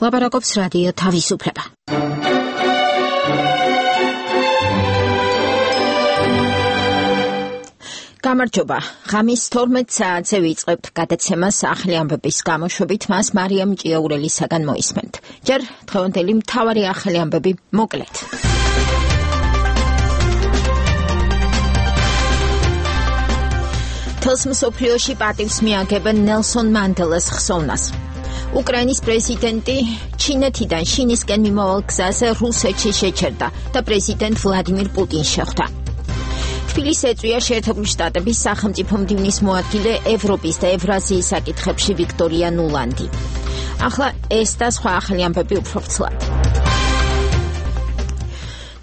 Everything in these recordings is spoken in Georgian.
ლაპარაკობს რადიო თავისუფლება. გამარჯობა. ღამის 12 საათზე ვიწყებთ გადაცემას ახალი ამბების გამოშვებით, მას მარიამ ჭიაურელისაგან მოისმენთ. ჯერ დღევანდელი მთავარი ახალი ამბები მოკლედ. თელს მსოფლიოში პატივს მიაგებენ ნელსონ მანდელას ხსოვნას. უკრაინის პრეზიდენტი ჩინეთიდან შინისკენ მიმავალ გზაზე რუსეთში შეჩერდა და პრეზიდენტ ვლადიმირ პუტინს შეხვდა. თბილისს ეწვია შეერთებული შტატების სახელმწიფო მდივნის მოადგილე ევროპის და ევრაზიის საკითხებში ვიქტორია ნულანდი. ახლა ეს და სხვა ახალი ამბები უფრო ვრცლად.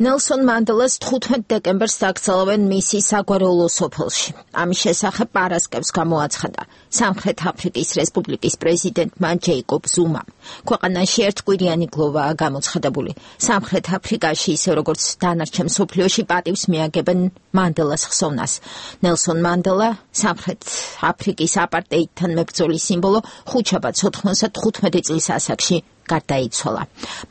ნელსონ მანდელას 15 დეკემბერს დაკრძალავენ მისი საგვარეულო სოფელში. ამის შესახებ პარასკევს გამოაცხადა სამხრეთ აფრიკის რესპუბლიკის პრეზიდენტმა ჯეიკობ ზუმამ. ქვეყანაში ერთკვირიანი გლოვაა გამოცხადებული. სამხრეთ აფრიკაში, ისე როგორც დანარჩენ მსოფლიოში, პატივს მიაგებენ მანდელას ხსოვნას. ნელსონ მანდელა, სამხრეთ აფრიკის აპარტეიდთან მებრძოლის სიმბოლო, ხუთშაბათს 95 წლის ასაკში გარდაიცვალა.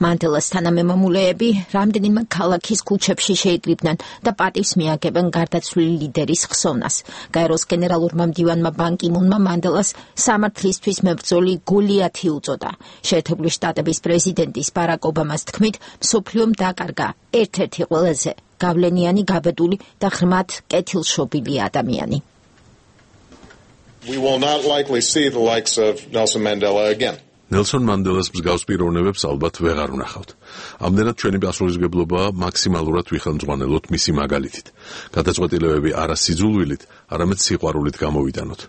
მანდელას თანამემამულეები რამდენიმე ქალაქის ქუჩებში შეიკრიბნენ და პატივს მიაგებენ გარდაცვლილი ლიდერის ხსოვნას. გაეროს გენერალურმა მდივანმა ბან კი მუნმა მანდელას სამართლისთვის მებრძოლი გოლიათი უწოდა. შეერთებული შტატების პრეზიდენტის ბარაკ ობამას თქმით, მსოფლიომ დაკარგა ერთ-ერთი ყველაზე გავლენიანი, გაბედული და ღრმად კეთილშობილი ადამიანი. We will not likely see the likes of Nelson Mandela again. ნელსონ მანდელას მსგავს პიროვნებებს ალბათ ვეღარ ვნახავთ. ამდენად ჩვენი პასუხისმგებლობაა მაქსიმალურად ვიხელმძღვანელოთ მისი მაგალითით. გადაწყვეტილებები არა სიძულვილით, არამედ სიყვარულით გამოვიტანოთ.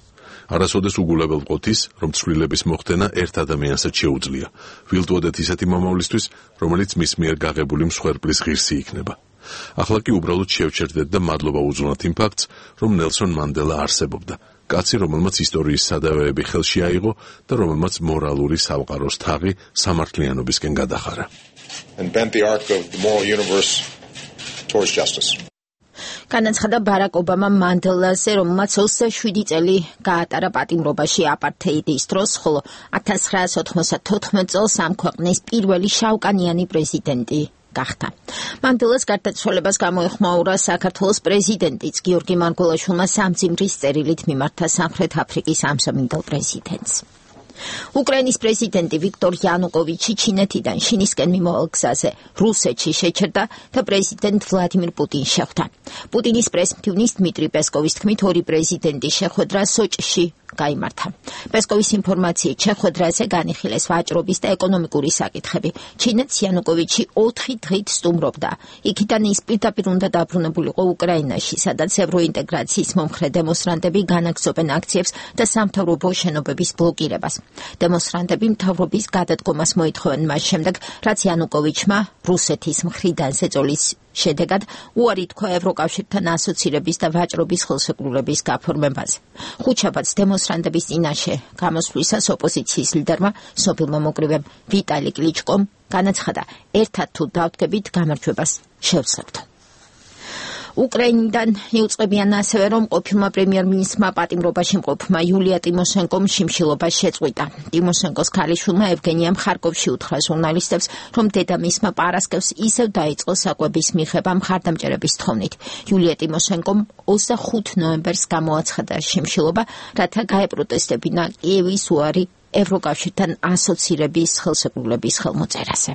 არასოდეს უგულებელ ვყოთ ის, რომ ცვლილების მოხდენა ერთ ადამიანსაც შეუძლია. ვილტვოდეთ ისეთი მომავლისთვის, რომელიც მის მიერ გაღებული მსხვერპლის ღირსი იქნება. ახლა კი უბრალოდ შევჩერდეთ და მადლობა უძღვნათ იმ ფაქტს, რომ ნელსონ მანდელა არსებობდა. კაცი, რომელმაც ისტორიის სადავეები ხელში აიღო და რომელმაც მორალური სამყაროს თაღი სამართლიანობისკენ გადახარა. And bent the arc of the moral universe towards justice. განაცხადა ბარაკ ობამა მანდელაზე, რომელმაც 27 წელი გაატარა პატიმრობაში აპართეიდის დროს, ხოლო 1994 წელს ამ ქვეყნის პირველი შავკანიანი პრეზიდენტი გახდა. მანდელას გარდაცვალებას გამოეხმაურა საქართველოს პრეზიდენტიც გიორგი მარგველაშვილმა სამძიმრის წერილით მიმართა სამხრეთ აფრიკის ამსამინდელ პრეზიდენტს. უკრაინის პრეზიდენტი ვიქტორ იანუკოვიჩი ჩინეთიდან შინისკენ მიმავალ გზაზე რუსეთში შეჩერდა და პრეზიდენტ ვლადიმირ პუტინს შეხვდა. პუტინის პრესმდივნის დმიტრი პესკოვის თქმით, ორი პრეზიდენტის შეხვედრა სოჭში გაიმართა. პესკოვის ინფორმაციით, შეხვედრაზე განიხილეს ვაჭრობის და ეკონომიკური საკითხები. ჩინეთს იანუკოვიჩი 4 დღით სტუმრობდა. იქიდან ის პირდაპირ უნდა დაბრუნებულიყო უკრაინაში, სადაც ევროინტეგრაციის მომხრე დემონსტრანტები განაგრძობენ აქციებს და სამთავრობო შენობების ბლოკირებას. დემონსტრანტები მთავრობის გადადგომას მოითხოვენ მას შემდეგ, რაც იანუკოვიჩმა რუსეთის მხრიდან ზეწოლის შედეგად უარი თქვა ევროკავშირთან ასოცირების და ვაჭრობის ხელშეკრულების გაფორმებაზე. ხუთშაბათს დემონსტრანტების წინაშე გამოსვლისას ოპოზიციის ლიდერმა, სოფილ მომოკრივემ ვიტალი კლიჩკომ განაცხადა, ერთად თუ დავდგებით გამარჯვებას შევძლებთ. უკრაინიდან იუწყებიან ასევე, რომ ყოფილმა პრემიერ-მინისტრმა პატიმრობაში მყოფმა იულია ტიმოშენკომ შიმშილობა შეწყვიტა. ტიმოშენკოს ქალიშვილმა ევგენიამ ხარკოვში უთხრა ჟურნალისტებს, რომ დედამისმა პარასკევს ისევ დაიწყო საკვების მიღება მხარდამჭერების თხოვნით. იულია ტიმოშენკომ 25 ნოემბერს გამოაცხადა შიმშილობა, რათა გაეპროტესტებინა კიევის უარი ევროკავშირთან ასოცირების ხელშეკრულების ხელმოწერაზე.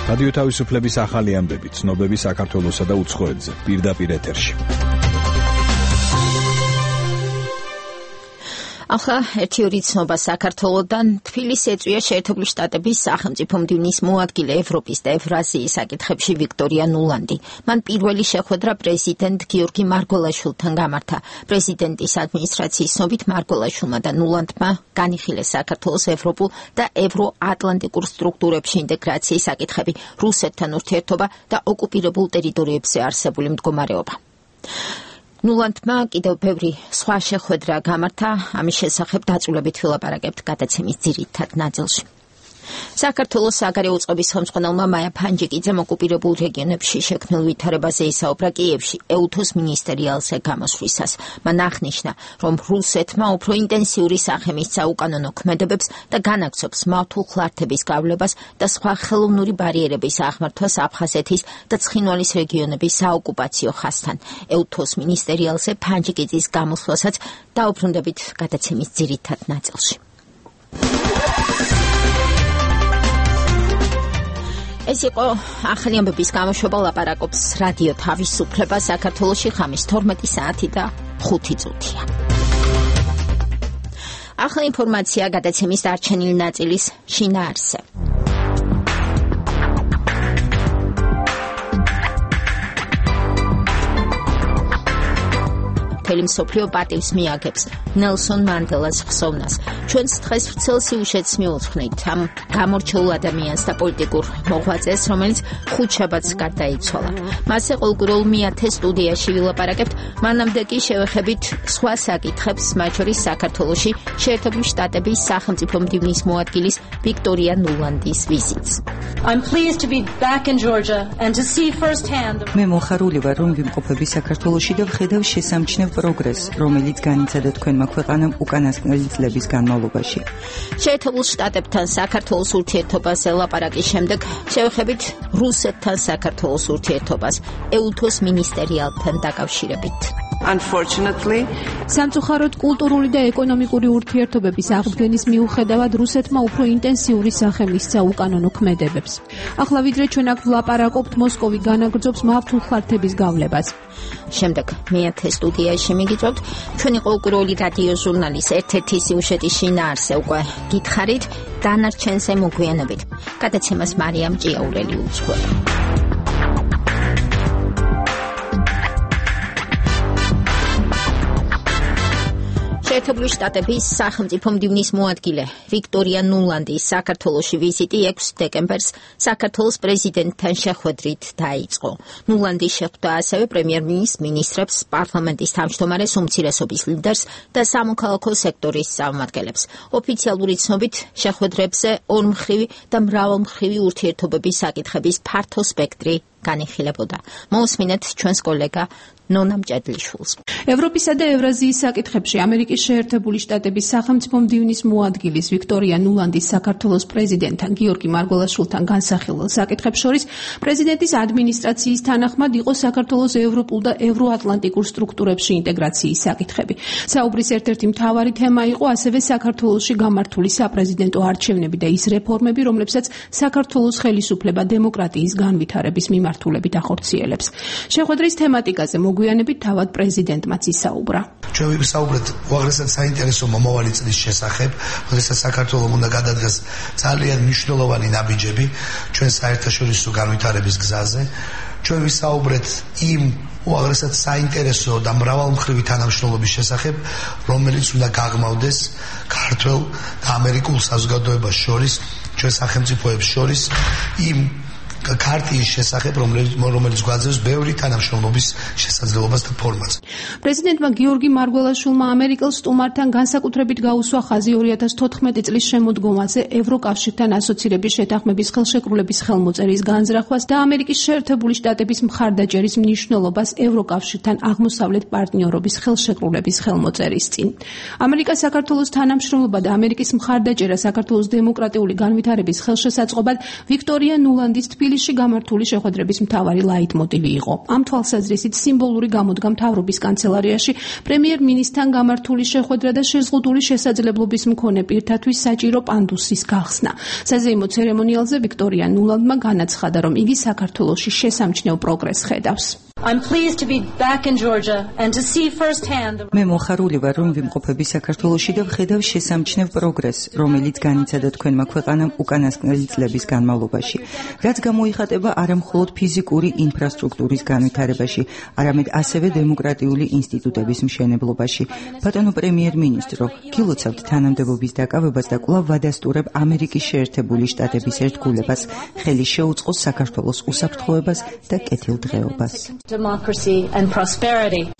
რადიო თავისუფლების ახალი ამბები, ცნობები საქართველოსა და უცხოეთზე, პირდაპირ ეთერში. ახლა ერთი ორი ცნობა საქართველოდან. თბილისს ეწვია შეერთებული შტატების სახელმწიფო მდივნის მოადგილე ევროპის და ევრაზიის საკითხებში ვიქტორია ნულანდი. მან პირველი შეხვედრა პრეზიდენტ გიორგი მარგველაშვილთან გამართა. პრეზიდენტის ადმინისტრაციის ცნობით მარგველაშვილმა და ნულანდმა განიხილეს საქართველოს ევროპულ და ევროატლანტიკურ სტრუქტურებში ინტეგრაციის საკითხები, რუსეთთან ურთიერთობა და ოკუპირებულ ტერიტორიებზე არსებული მდგომარეობა. ნულანდმა კიდევ ბევრი სხვა შეხვედრა გამართა, ამის შესახებ დაწვრილებით ვილაპარაკებთ გადაცემის ძირითად ნაწილში. საქართველოს საგარეო უწყების ხელმძღვანელმა მაია ფანჯიკიძემ ოკუპირებულ რეგიონებში შექმნილ ვითარებაზე ისაუბრა კიევში ეუთოს მინისტერიალზე გამოსვლისას. მან აღნიშნა, რომ რუსეთმა უფრო ინტენსიური სახემისცა უკანონო ქმედებებს და განაგრძობს მართულ ხლართების გავლებას და სხვა ხელოვნური ბარიერების აღმართვას აფხაზეთის და ცხინვალის რეგიონების საოკუპაციო ხაზთან. ეუთოს მინისტერიალზე ფანჯიკიძის გამოსვლასაც დაუბრუნდებით გადაცემის ძირითად ნაწილში. ეს იყო ახალი ამბების გამოშვება, ლაპარაკობს რადიო თავისუფლება საქართველოში ხამის 12 საათი და 5 წუთია. ახალი ინფორმაცია გადაცემის დარჩენილი ნაწილის შინაარსზე. მთელი მსოფლიო პატივს მიაგებს ნელსონ მანდელას ხსოვნას. ჩვენს დღეს ვრცელ სიუჟეტს მივუძღვნით ამ გამორჩეულ ადამიანს და პოლიტიკურ მოღვაწეს, რომელიც ხუთშაბათს გარდაიცვალა. მასზე ყოველკვირეულ მეათე სტუდიაში ვილაპარაკებთ, მანამდე კი შევეხებით სხვა საკითხებს, მათ შორის საქართველოში შეერთებული შტატების სახელმწიფო მდივნის მოადგილის ვიქტორია ნულანდის ვიზიტს. I'm pleased to be back in Georgia and to see firsthand. მე მოხარული ვარ, რომ ვიმყოფები საქართველოში და ვხედავ შესამჩნევ პროგრესს, რომელიც განიცადა თქვენმა ქვეყანამ უკანასკნელი წლების განმავლობაში. შეერთებულ შტატებთან საქართველოს ურთიერთობაზე ლაპარაკის შემდეგ შევეხებით რუსეთთან საქართველოს ურთიერთობას ეუთოს მინისტერიალთან დაკავშირებით. Unfortunately, სამწუხაროდ კულტურული და ეკონომიკური ურთიერთობების აღდგენის მიუხედავად რუსეთმა უფრო ინტენსიური სახე მისცა უკანონო ქმედებებს. ახლა ვიდრე ჩვენ აქ ვლაპარაკობთ, მოსკოვი განაგრძობს მართულ ხლართების გავლებას. შემდეგ მეათე სტუდიაში მიგიწევთ ჩვენი ყოველკვირეული რადიო ჟურნალის ერთ-ერთი სიუჟეტის შინაარსზე უკვე გითხარით, დანარჩენზე მოგვიანებით. გადაცემას მარიამ ჭიაურელი უძღვება. შეერთებული შტატების სახელმწიფო მდივნის მოადგილე ვიქტორია ნულანდის საქართველოში ვიზიტი 6 დეკემბერს საქართველოს პრეზიდენტთან შეხვედრით დაიწყო. ნულანდი შეხვდა ასევე პრემიერ-მინისტრს, მინისტრებს, პარლამენტის თავმჯდომარეს, უმცირესობის ლიდერს და სამოქალაქო სექტორის წარმომადგენლებს. ოფიციალური ცნობით შეხვედრებზე ორმხრივი და მრავალმხრივი ურთიერთობების საკითხების ფართო სპექტრი განიხილებოდა. მოусმინეთ ჩვენს კოლეგა ნონა მჭედლიშვილს. ევროპისა და ევრაზიის საკითხებში ამერიკის შეერთებული შტატების სახელმწიფო მდივნის მოადგილის ვიქტორია ნულანდის საქართველოს პრეზიდენტთან გიორგი მარგველაშვილთან განსახილველ საკითხებს შორის პრეზიდენტის ადმინისტრაციის თანახმად იყო საქართველოს ევროპულ და ევროატლანტიკურ სტრუქტურებში ინტეგრაციის საკითხები. საუბრის ერთ-ერთი მთავარი თემა იყო ასევე საქართველოში გამართული საპრეზიდენტო არჩევნები და ის რეფორმები, რომლებსაც საქართველოს ხელისუფლება დემოკრატიის განვითარების მიმართულებით ახორციელებს. შეხვედრის თემატიკაზე მოგვიანებით თავად პრეზიდენტმაც ისაუბრა. ჩვენ ვისაუბრეთ უაღრესად საინტერესო მომავალი წლის შესახებ, როდესაც საქართველოს უნდა გადადგეს ძალიან მნიშვნელოვანი ნაბიჯები ჩვენ საერთაშორისო განვითარების გზაზე. ჩვენ ვისაუბრეთ იმ უაღრესად საინტერესო და მრავალმხრივი თანამშრომლობის შესახებ, რომელიც უნდა გაღრმავდეს ქართველ და ამერიკულ საზოგადოებას შორის, ჩვენ სახელმწიფოებს შორის იმ ქარტიის შესახებ, რომელიც გვაძლევს ბევრი თანამშრომლობის შესაძლებლობას და ფორმას. პრეზიდენტმა გიორგი მარგველაშვილმა ამერიკელ სტუმართან განსაკუთრებით გაუსვა ხაზი 2014 წლის შემოდგომაზე ევროკავშირთან ასოცირების შეთანხმების ხელშეკრულების ხელმოწერის განზრახვას და ამერიკის შეერთებული შტატების მხარდაჭერის მნიშვნელობას ევროკავშირთან აღმოსავლეთ პარტნიორობის ხელშეკრულების ხელმოწერის წინ. ამერიკას საქართველოს თანამშრომლობა და ამერიკის მხარდაჭერა საქართველოს დემოკრატიული განვითარების ხელშესაწყობად ვიქტორია ნულანდის თბილისში გამართული შეხვედრების მთავარი ლაიტმოტივი იყო. ამ თვალსაზრისით სიმბოლური გამოდგა მთავრობის კანცელარიაში პრემიერ-მინისტრთან გამართული შეხვედრა და შეზღუდული შესაძლებლობის მქონე პირთათვის საჭირო პანდუსის გახსნა. საზეიმო ცერემონიალზე ვიქტორია ნულანდმა განაცხადა, რომ იგი საქართველოში შესამჩნევ პროგრესს ხედავს. I'm pleased to be back in Georgia and to see firsthand. მე მოხარული ვარ, რომ ვიმყოფები საქართველოში და ვხედავ შესამჩნევ პროგრესს, რომელიც განიცადა თქვენმა ქვეყანამ უკანასკნელი წლების განმავლობაში. რაც გამოიხატება არა მხოლოდ ფიზიკური ინფრასტრუქტურის განვითარებაში, არამედ ასევე დემოკრატიული ინსტიტუტების მშენებლობაში. ბატონო პრემიერ-მინისტრო, გილოცავთ თანამდებობის დაკავებას და კვლავ ვადასტურებ ამერიკის შეერთებული შტატების ერთგულებას, ხელი შეუწყოს საქართველოს უსაფრთხოებას და კეთილდღეობას. Democracy and prosperity.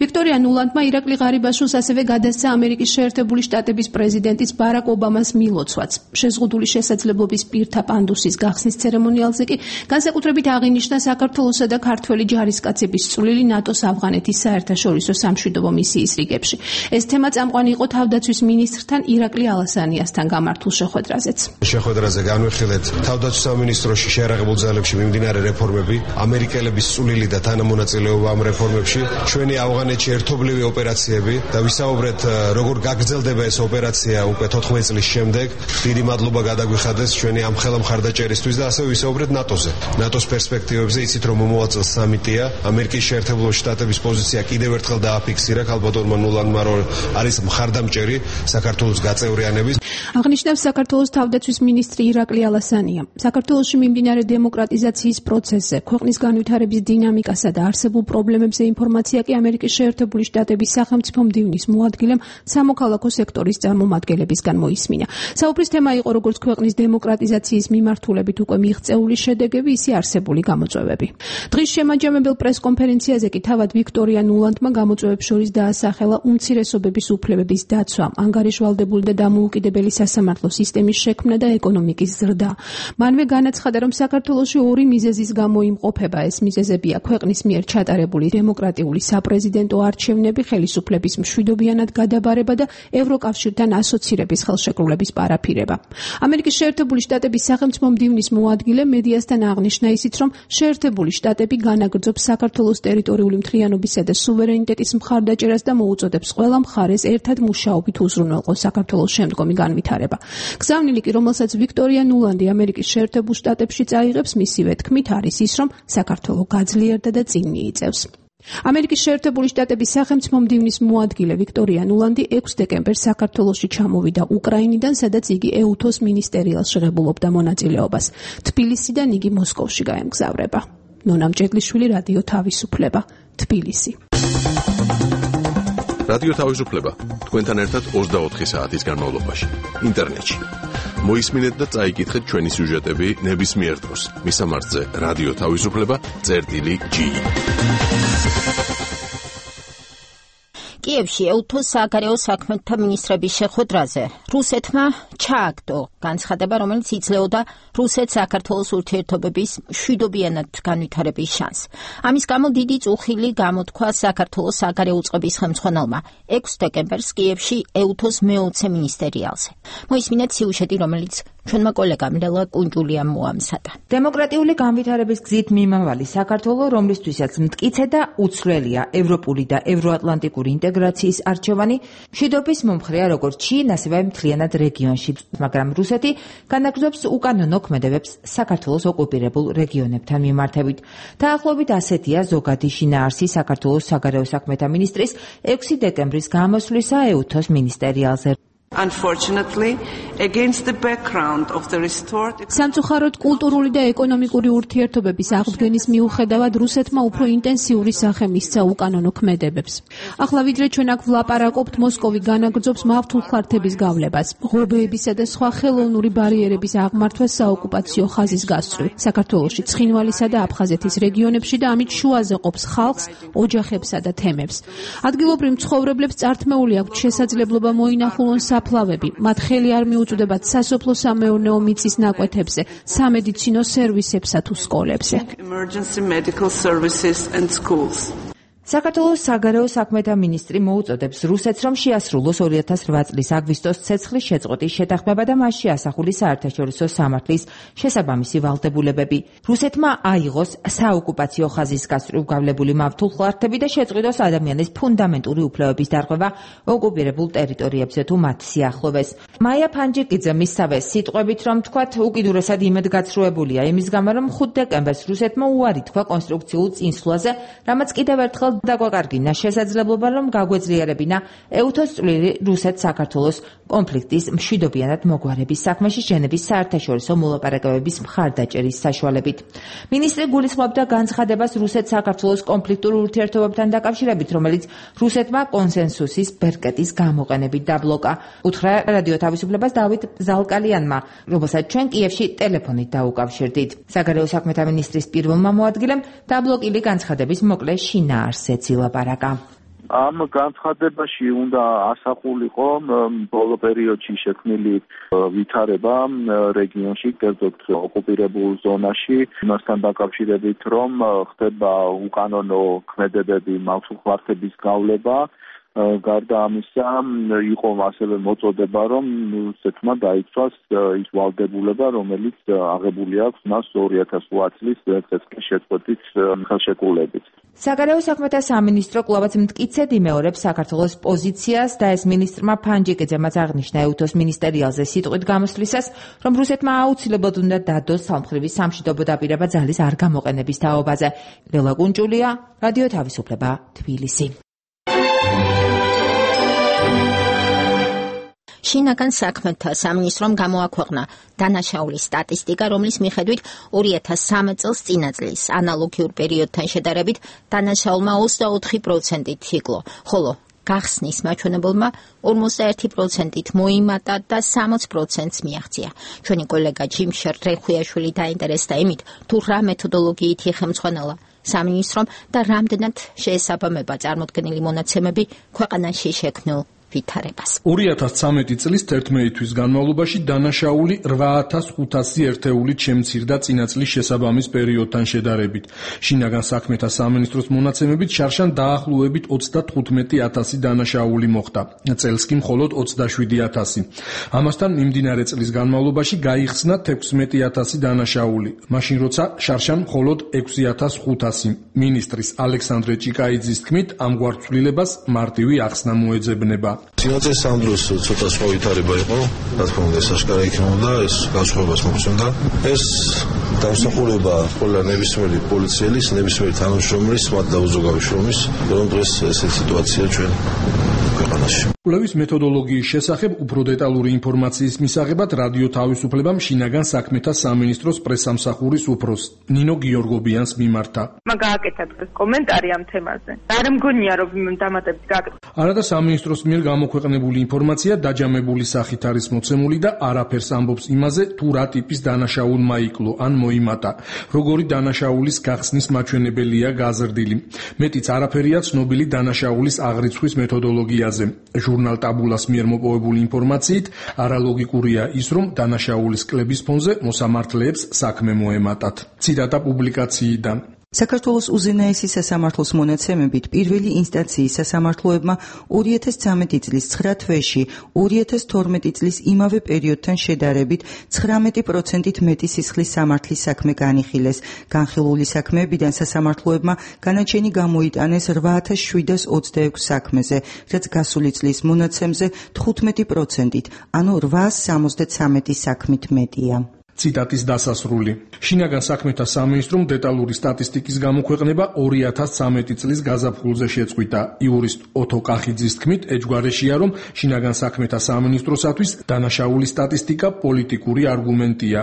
ვიქტორია ნულანდმა ირაკლი ღარიბაშვილს ასევე გადასცა ამერიკის შეერთებული შტატების პრეზიდენტის ბარაკ ობამას მილოცვაც. შეზღუდული შესაძლებლობის პირთა პანდუსის გახსნის ცერემონიალზე კი განსაკუთრებით აღინიშნა საქართველოსა და ქართველი ჯარისკაცების წვლილი ნატოს ავღანეთის საერთაშორისო სამშვიდობო მისიის რიგებში. ეს თემა წამყვანი იყო თავდაცვის მინისტრთან ირაკლი ალასანიასთან გამართულ შეხვედრაზეც. შეხვედრაზე განვიხილეთ თავდაცვის სამინისტროში შეიარაღებულ ძალებში მიმდინარე რეფორმები, ამერიკელების წვლილი და თანამონაწილეობა ამ რეფორმებში, ჩვენი ავღანეთში ერთობლივი ოპერაციები და ვისაუბრეთ როგორ გაგრძელდება ეს ოპერაცია უკვე 14 წლის შემდეგ. დიდი მადლობა გადაგვიხადეს ჩვენი ამ ხელა მხარდაჭერისთვის და ასევე ვისაუბრეთ ნატოზე. ნატოს პერსპექტივებზე იცით რომ მომავალ სამიტია, ამერიკის შეერთებული შტატების პოზიცია კიდევ ერთხელ დააფიქსირა ქალბატონმა ნულანდმა რომ არის მხარდამჭერი საქართველოს გაწევრიანების. აღნიშნავს საქართველოს თავდაცვის მინისტრი ირაკლი ალასანია. საქართველოში მიმდინარე დემოკრატიზაციის პროცესზე, ქვეყნის განვითარების დინამიკასა და არსებულ პრობლემებზე ინფორმაცია კი ამერიკის შეერთებული შტატების სახელმწიფო მდივნის მოადგილემ სამოქალაქო სექტორის წარმომადგენლებისგან მოისმინა. საუბრის თემა იყო როგორც ქვეყნის დემოკრატიზაციის მიმართულებით უკვე მიღწეული შედეგები, ისე არსებული გამოწვევები. დღის შემაჯამებელ პრესკონფერენციაზე კი თავად ვიქტორია ნულანდმა გამოწვევებს შორის დაასახელა უმცირესობების უფლებების დაცვა, ანგარიშვალდებული და დამოუკიდებელი სასამართლო სისტემის შექმნა და ეკონომიკის ზრდა. მანვე განაცხადა, რომ საქართველოში ორი მიზეზის გამო იმყოფება. ეს მიზეზებია ქვეყნის მიერ ჩატარებული დემოკრატიული საპრეზიდენტო არჩევნები, ხელისუფლების მშვიდობიანად გადაბარება და ევროკავშირთან ასოცირების ხელშეკრულების პარაფირება. ამერიკის შეერთებული შტატების სახელმწიფო მდივნის მოადგილე მედიასთან აღნიშნა ისიც, რომ შეერთებული შტატები განაგრძობს საქართველოს ტერიტორიული მთლიანობისა და სუვერენიტეტის მხარდაჭერას და მოუწოდებს ყველა მხარეს ერთად მუშაობით უზრუნველყოს საქართველოს შემდგომი განვითარება. გზავნილი კი, რომელსაც ვიქტორია ნულანდი ამერიკის შეერთებულ შტატებში წაიღებს, მისივე თქმით არის ის, რომ საქართველო გაძლიერდა და წინ მიიწევს. ამერიკის შეერთებული შტატების სახელმწიფო მდივნის მოადგილე ვიქტორია ნულანდი 6 დეკემბერს საქართველოში ჩამოვიდა უკრაინიდან, სადაც იგი ეუთოს მინისტერიალში ღებულობდა მონაწილეობას. თბილისიდან იგი მოსკოვში გაემგზავრება. ნონა მჭედლიშვილი, რადიო თავისუფლება, თბილისი. რადიო თავისუფლება თქვენთან ერთად 24 საათის განმავლობაში ინტერნეტში. მოისმინეთ და წაიკითხეთ ჩვენი სიუჟეტები ნებისმიერ დროს. მისამართზე რადიო თავისუფლება.gi. კიევში ეუთოს საგარეო საქმეთა მინისტრების შეხვედრაზე რუსეთმა ჩააგდო განცხადება, რომელიც იძლეოდა რუსეთ-საქართველოს ურთიერთობების მშვიდობიანად განვითარების შანსს. ამის გამო დიდი წუხილი გამოთქვა საქართველოს საგარეო უწყების ხელმძღვანელმა 6 დეკემბერს კიევში ეუთოს მეოცე მინისტერიალზე. მოისმინეთ სიუჟეტი, რომელიც ჩვენმა კოლეგამ ლელა კუნჯულიამ მოამზადა. დემოკრატიული განვითარების გზით მიმავალი საქართველო, რომლისთვისაც მტკიცე და უცვლელია ევროპული და ევროატლანტიკური ინტეგრაციის არჩევანი, მშვიდობის მომხრეა როგორც ჩინ, ასევე მთლიანად რეგიონში, მაგრამ რუსეთი განაგრძობს უკანონო ქმედებებს საქართველოს ოკუპირებულ რეგიონებთან მიმართებით. დაახლოებით ასეთია ზოგადი შინაარსი საქართველოს საგარეო საქმეთა მინისტრის 6 დეკემბრის გამოსვლისა ეუთოს მინისტერიალზე. Unfortunately, against the background of the restored სამწუხაროდ კულტურული და ეკონომიკური ურთიერთობების აღდგენის მიუხედავად რუსეთმა უფრო ინტენსიური სახე მისცა უკანონო ქმედებებს. ახლა ვიდრე ჩვენ აქ ვლაპარაკობთ, მოსკოვი განაგრძობს მავთულხლართების გავლებას, ღობეებისა და სხვა ხელოვნური ბარიერების აღმართვას საოკუპაციო ხაზის გასწვრივ, საქართველოში, ცხინვალისა და აფხაზეთის რეგიონებში და ამით შუაზე ყოფს ხალხს, ოჯახებსა და თემებს. ადგილობრივ მცხოვრებლებს წართმეული აქვთ შესაძლებლობა მოინახულონ საფლავები, მათ ხელი არ მიუწვდებათ სასოფლო-სამეურნეო მიწის ნაკვეთებზე, სამედიცინო სერვისებსა თუ სკოლებზე. emergency medical services and schools. საქართველოს საგარეო საქმეთა მინისტრი მოუწოდებს რუსეთს, რომ შეასრულოს 2008 წლის აგვისტოს ცეცხლის შეწყვეტის შეთანხმება და მასში ასახული საერთაშორისო სამართლის შესაბამისი ვალდებულებები. რუსეთმა აიღოს საოკუპაციო ხაზის გასწვრივ გავლებული მავთულხლართები და შეწყვიტოს ადამიანის ფუნდამენტური უფლებების დარღვევა ოკუპირებულ ტერიტორიებზე თუ მათ სიახლოვეს. მაია ფანჯიკიძე მისავე სიტყვებით, რომ თქვათ, უკიდურესად იმედგაცრუებულია იმის გამო, რომ 5 დეკემბერს რუსეთმა უარი თქვა კონსტრუქციულ წინსვლაზე, რამაც კიდევ ერთხელ დაგვაკარგინა შესაძლებლობა, რომ გაგვეძლიერებინა ეუთოს წვლილი რუსეთ-საქართველოს კონფლიქტის მშვიდობიანად მოგვარების საქმეში ჟენევის საერთაშორისო მოლაპარაკებების მხარდაჭერის საშუალებით. მინისტრი გულისხმობდა განცხადებას რუსეთ-საქართველოს კონფლიქტურ ურთიერთობებთან დაკავშირებით, რომელიც რუსეთმა კონსენსუსის ბერკეტის გამოყენებით დაბლოკა. უთხრა რადიო თავისუფლებას დავით ზალკალიანმა, რომელსაც ჩვენ კიევში ტელეფონით დაუკავშირდით. საგარეო საქმეთა მინისტრის პირველმა მოადგილემ დაბლოკილი განცხადების მოკლე შინაარსზე ცილაპარაკა. ამ განცხადებაში უნდა ასახულიყო ბოლო პერიოდში შექმნილი ვითარება რეგიონში, კერძოდ ოკუპირებულ ზონაში, იმასთან დაკავშირებით, რომ ხდება უკანონო ქმედებები, მავთულხმართების გავლება. გარდა ამისა, იყო ასევე მოწოდება, რომ სეთმა დაიცვას ის ვალდებულება, რომელიც აღებული აქვს მას 2008 წლის წესკის შეწყვეტის ხელშეკრულებით. საგარეო საქმეთა სამინისტრო კვლავაც მტკიცედ იმეორებს საქართველოს პოზიციას და ეს მინისტრმა ფანჯიკიძემაც აღნიშნა ეუთოს მინისტერიალზე სიტყვით გამოსვლისას, რომ რუსეთმა აუცილებლად უნდა დადოს სამხედრო სამშვიდობო დაპირება ძალის არ გამოყენების თაობაზე. ლელა კუნჭულია, რადიო თავისუფლება, თბილისი. შინაგან საქმეთა სამინისტრომ გამოაქვეყნა დანაშაულის სტატისტიკა, რომლის მიხედვით 2013 წელს წინა წლის ანალოგიურ პერიოდთან შედარებით დანაშაულმა 24%-ით იკლო, ხოლო გახსნის მაჩვენებელმა 51%-ით მოიმატა და 60%-ს მიაღწია. ჩვენი კოლეგა ჯიმშერ რეხუიაშვილი დაინტერესდა იმით, თუ რა მეთოდოლოგიით იხელმძღვანელა სამინისტრომ და რამდენად შეესაბამება წარმოდგენილი მონაცემები ქვეყანაში შექმნილ ვითარებას. 2013 წლის 11 თვის განმავლობაში დანაშაული 8500 ერთეულით შემცირდა წინა წლის შესაბამის პერიოდთან შედარებით. შინაგან საქმეთა სამინისტროს მონაცემებით შარშან დაახლოებით 35000 დანაშაული მოხდა. წელს კი მხოლოდ 27000. ამასთან მიმდინარე წლის განმავლობაში გაიხსნა 16000 დანაშაული, მაშინ როცა შარშან მხოლოდ 6500. მინისტრის ალექსანდრე ჭიკაიძის თქმით, ამგვარ ცვლილებას მარტივი ახსნა მოეძებნება. სინათლის ამ დროს ცოტა სხვა ვითარება იყო, რა თქმა უნდა, საშკარა იქნებოდა, ეს განსხვავებას მოგვწონდა. ეს დამსახურება ყველა ნებისმიერი პოლიციელის, ნებისმიერი თანამშრომლის, მათ დაუზოგავი შრომის, რომ დღეს ესეთი სიტუაცია ჩვენ ქვეყანაში. კვლევის მეთოდოლოგიის შესახებ უფრო დეტალური ინფორმაციის მისაღებად რადიო თავისუფლებამ შინაგან საქმეთა სამინისტროს პრესამსახურის უფროს ნინო გიორგობიანს მიმართა. გააკეთა დღეს კომენტარი ამ თემაზე. არ მგონია რომ დამატებით გააკეთა. არადა სამინისტროს მიერ გამოქვეყნებული ინფორმაცია დაჯამებული სახით არის მოცემული და არაფერს ამბობს იმაზე, თუ რა ტიპის დანაშაულმა იკლო ან მოიმატა, როგორი დანაშაულის გახსნის მაჩვენებელია გაზრდილი. მეტიც არაფერია ცნობილი დანაშაულის აღრიცხვის მეთოდოლოგიაზე. ჟურნალ ტაბულას მიერ მოპოვებული ინფორმაციით არალოგიკურია ის, რომ დანაშაულის კლების ფონზე მოსამართლეებს საქმე მოემატათ. ციტატა პუბლიკაციიდან. საქართველოს უზენაესი სასამართლოს მონაცემებით პირველი ინსტანციის სასამართლოებმა 2013 წლის 9 თვეში 2012 წლის იმავე პერიოდთან შედარებით 19%-ით მეტი სისხლის სამართლის საქმე განიხილეს. განხილული საქმეებიდან სასამართლოებმა განაჩენი გამოიტანეს 8726 საქმეზე, რაც გასული წლის მონაცემზე 15%-ით, ანუ 873 საქმით მეტია. ციტატის დასასრული. შინაგან საქმეთა სამინისტრომ დეტალური სტატისტიკის გამოქვეყნება 2013 წლის გაზაფხულზე შეწყვიტა. იურისტ ოთო კახიძის თქმით, ეჯგვარეშია, რომ შინაგან საქმეთა სამინისტროსათვის დანაშაულის სტატისტიკა პოლიტიკური არგუმენტია.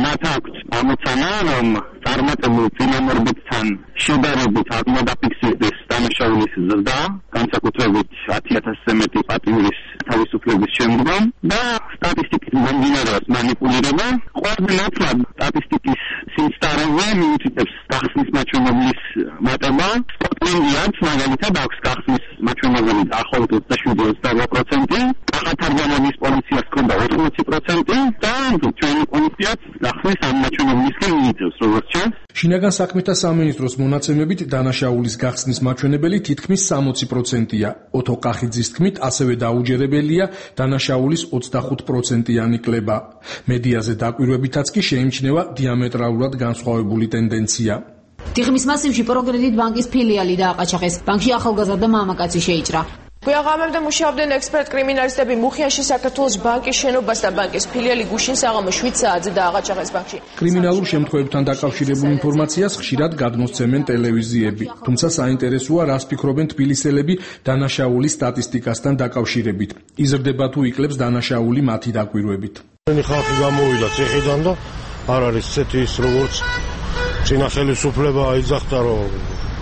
მათ აქვს ამოცანა, რომ წარმატებულ წინამორბედთან შედარებით არ მოდაფიქსირდეს დანაშაულის ზრდა, განსაკუთრებით 10000-ზე მეტი პატიმრის თავისუფლების შემდგომ და სტატისტიკის მომდინარეობს მანიპულირება. ყოველდღიურად სტატისტიკის სიმსტარეზე მიუთითებს გახსნის მაჩვენებლის მატება. სკოტლენდიაც მაგალითად აქვს გახსნის მაჩვენებელი დაახლოებით 27-28%, კახათარგამონის პოლიციას ჰქონდა 80% და ჩვენი პოლიციაც გახსნის ამ მაჩვენებლისკენ მიიწევს, როგორც ჩანს. შინაგან საქმეთა სამინისტროს მონაცემებით დანაშაულის გახსნის მაჩვენებელი თითქმის 60%-ია. ოთო კახიძის თქმით, ასევე დაუჯერებელია დანაშაულის 25%-იანი კლება. მედიაზე დაკვირვებითაც კი შეიმჩნევა დიამეტრალურად განსხვავებული ტენდენცია. თიხმის მასივში პროგრედიტ ბანკის ფილიალი დააყაჩაღეს. ბანკში ახალგაზრდა მამაკაცი შეიჭრა. გვიაღამებდა მუშაობდნენ ექსპერტ-კრიმინალისტები მუხიანში საქართველოს ბანკის შენობას და ბანკის ფილიალი გუშინ საღამოს 7 საათზე დააყაჩაღეს ბანკში. კრიმინალურ შემთხვევებთან დაკავშირებულ ინფორმაციას ხშირად გადმოსცემენ ტელევიზიები. თუმცა საინტერესოა, რას ფიქრობენ თბილისელები დანაშაულის სტატისტიკასთან დაკავშირებით. იზრდება თუ იკლებს დანაშაული მათი დაკვირვებით. ხალხი გამოვიდა ციხიდან და არ არის ცეთი ის როგორც წინა ხელისუფლება აიძახდა, რომ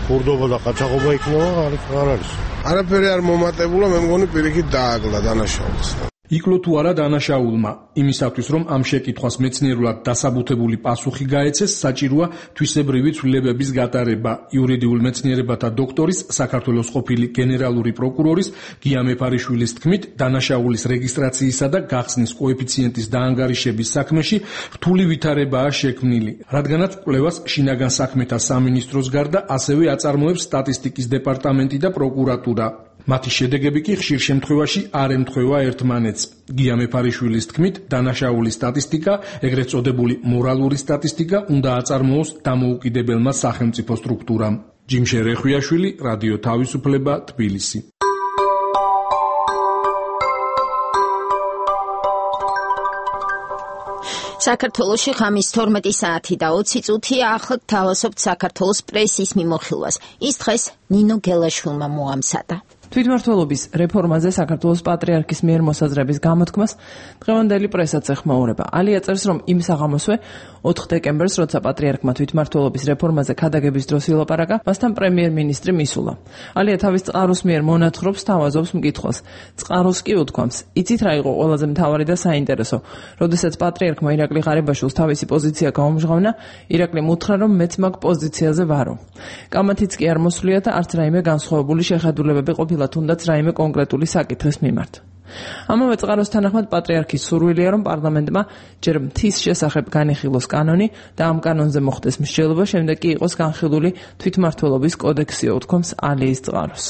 ქურდობა და ყაჩაღობა იქნება, არ არის. არაფერი არ მომატებულა, მე მგონი პირიქით დააგლა დანაშაულს. იკლო თუ არა დანაშაულმა იმისათვის რომ ამ შეკითხვას მეცნიერულად დასაბუთებული პასუხი გაეცეს საჭიროა თვისებრივი ცვლილებების გატარება იურიდიულ მეცნიერებათა დოქტორის საქართველოს ყოფილი გენერალური პროკურორის გია მეფარიშვილის თქმით დანაშაულის რეგისტრაციისა და გახსნის კოეფიციენტის დაანგარიშების საქმეში რთული ვითარებაა შექმნილი რადგანაც კვლევას შინაგან საქმეთა სამინისტროს გარდა ასევე აწარმოებს სტატისტიკის დეპარტამენტი და პროკურატურა მათი შედეგები კი ხშირ შემთხვევაში არ ემთხვევა ერთმანეთს. გია მეფარიშვილის თქმით, დანაშაულის სტატისტიკა, ეგრეთ წოდებული მორალური სტატისტიკა, უნდა აწარმოოს დამოუკიდებელმა სახელმწიფო სტრუქტურამ. ჯიმშე რეხვიაშვილი, რადიო თავისუფლება, თბილისი. საქართველოში ღამის 12 საათი და 20 წუთია ახლად თავაზობთ საქართველოს პრესის მიმოხილვას. ის დღეს ნინო გელაშვილმა მოამზადა. თვითმმართველობის რეფორმაზე საქართველოს პატრიარქის მიერ მოსაზრების გამოთქმას დღევანდელი პრესაც ეხმაურება. ალია წერს, რომ იმ საღამოსვე 4 დეკემბერს, როცა პატრიარქმა თვითმმართველობის რეფორმაზე ქადაგების დროს ილაპარაკა, მასთან პრემიერ-მინისტრი მისულა. ალია თავის წყაროს მიერ მონათხრობს, თავაზობს მკითხველს. წყაროს კი უთქვამს: "იცით რა იყო ყველაზე მთავარი და საინტერესო? როდესაც პატრიარქმა ირაკლი ღარიბაშვილს თავისი პოზიცია გაუმჟღავნა, ირაკლიმ უთხრა, რომ მეც მაგ პოზიციაზე ვარო. კამათიც კი არ მოსვლია და არც რაიმე განსხვავებული შეხედულებები ყოფილა თუნდაც რაიმე კონკრეტული საკითხის მიმართ." ამავე წყაროს თანახმად პატრიარქის სურვილია, რომ პარლამენტმა ჯერ მთის შესახებ განიხილოს კანონი და ამ კანონზე მოხდეს მსჯელობა, შემდეგ კი იყოს განხილული თვითმმართველობის კოდექსი, უთქვამს ალიის წყაროს.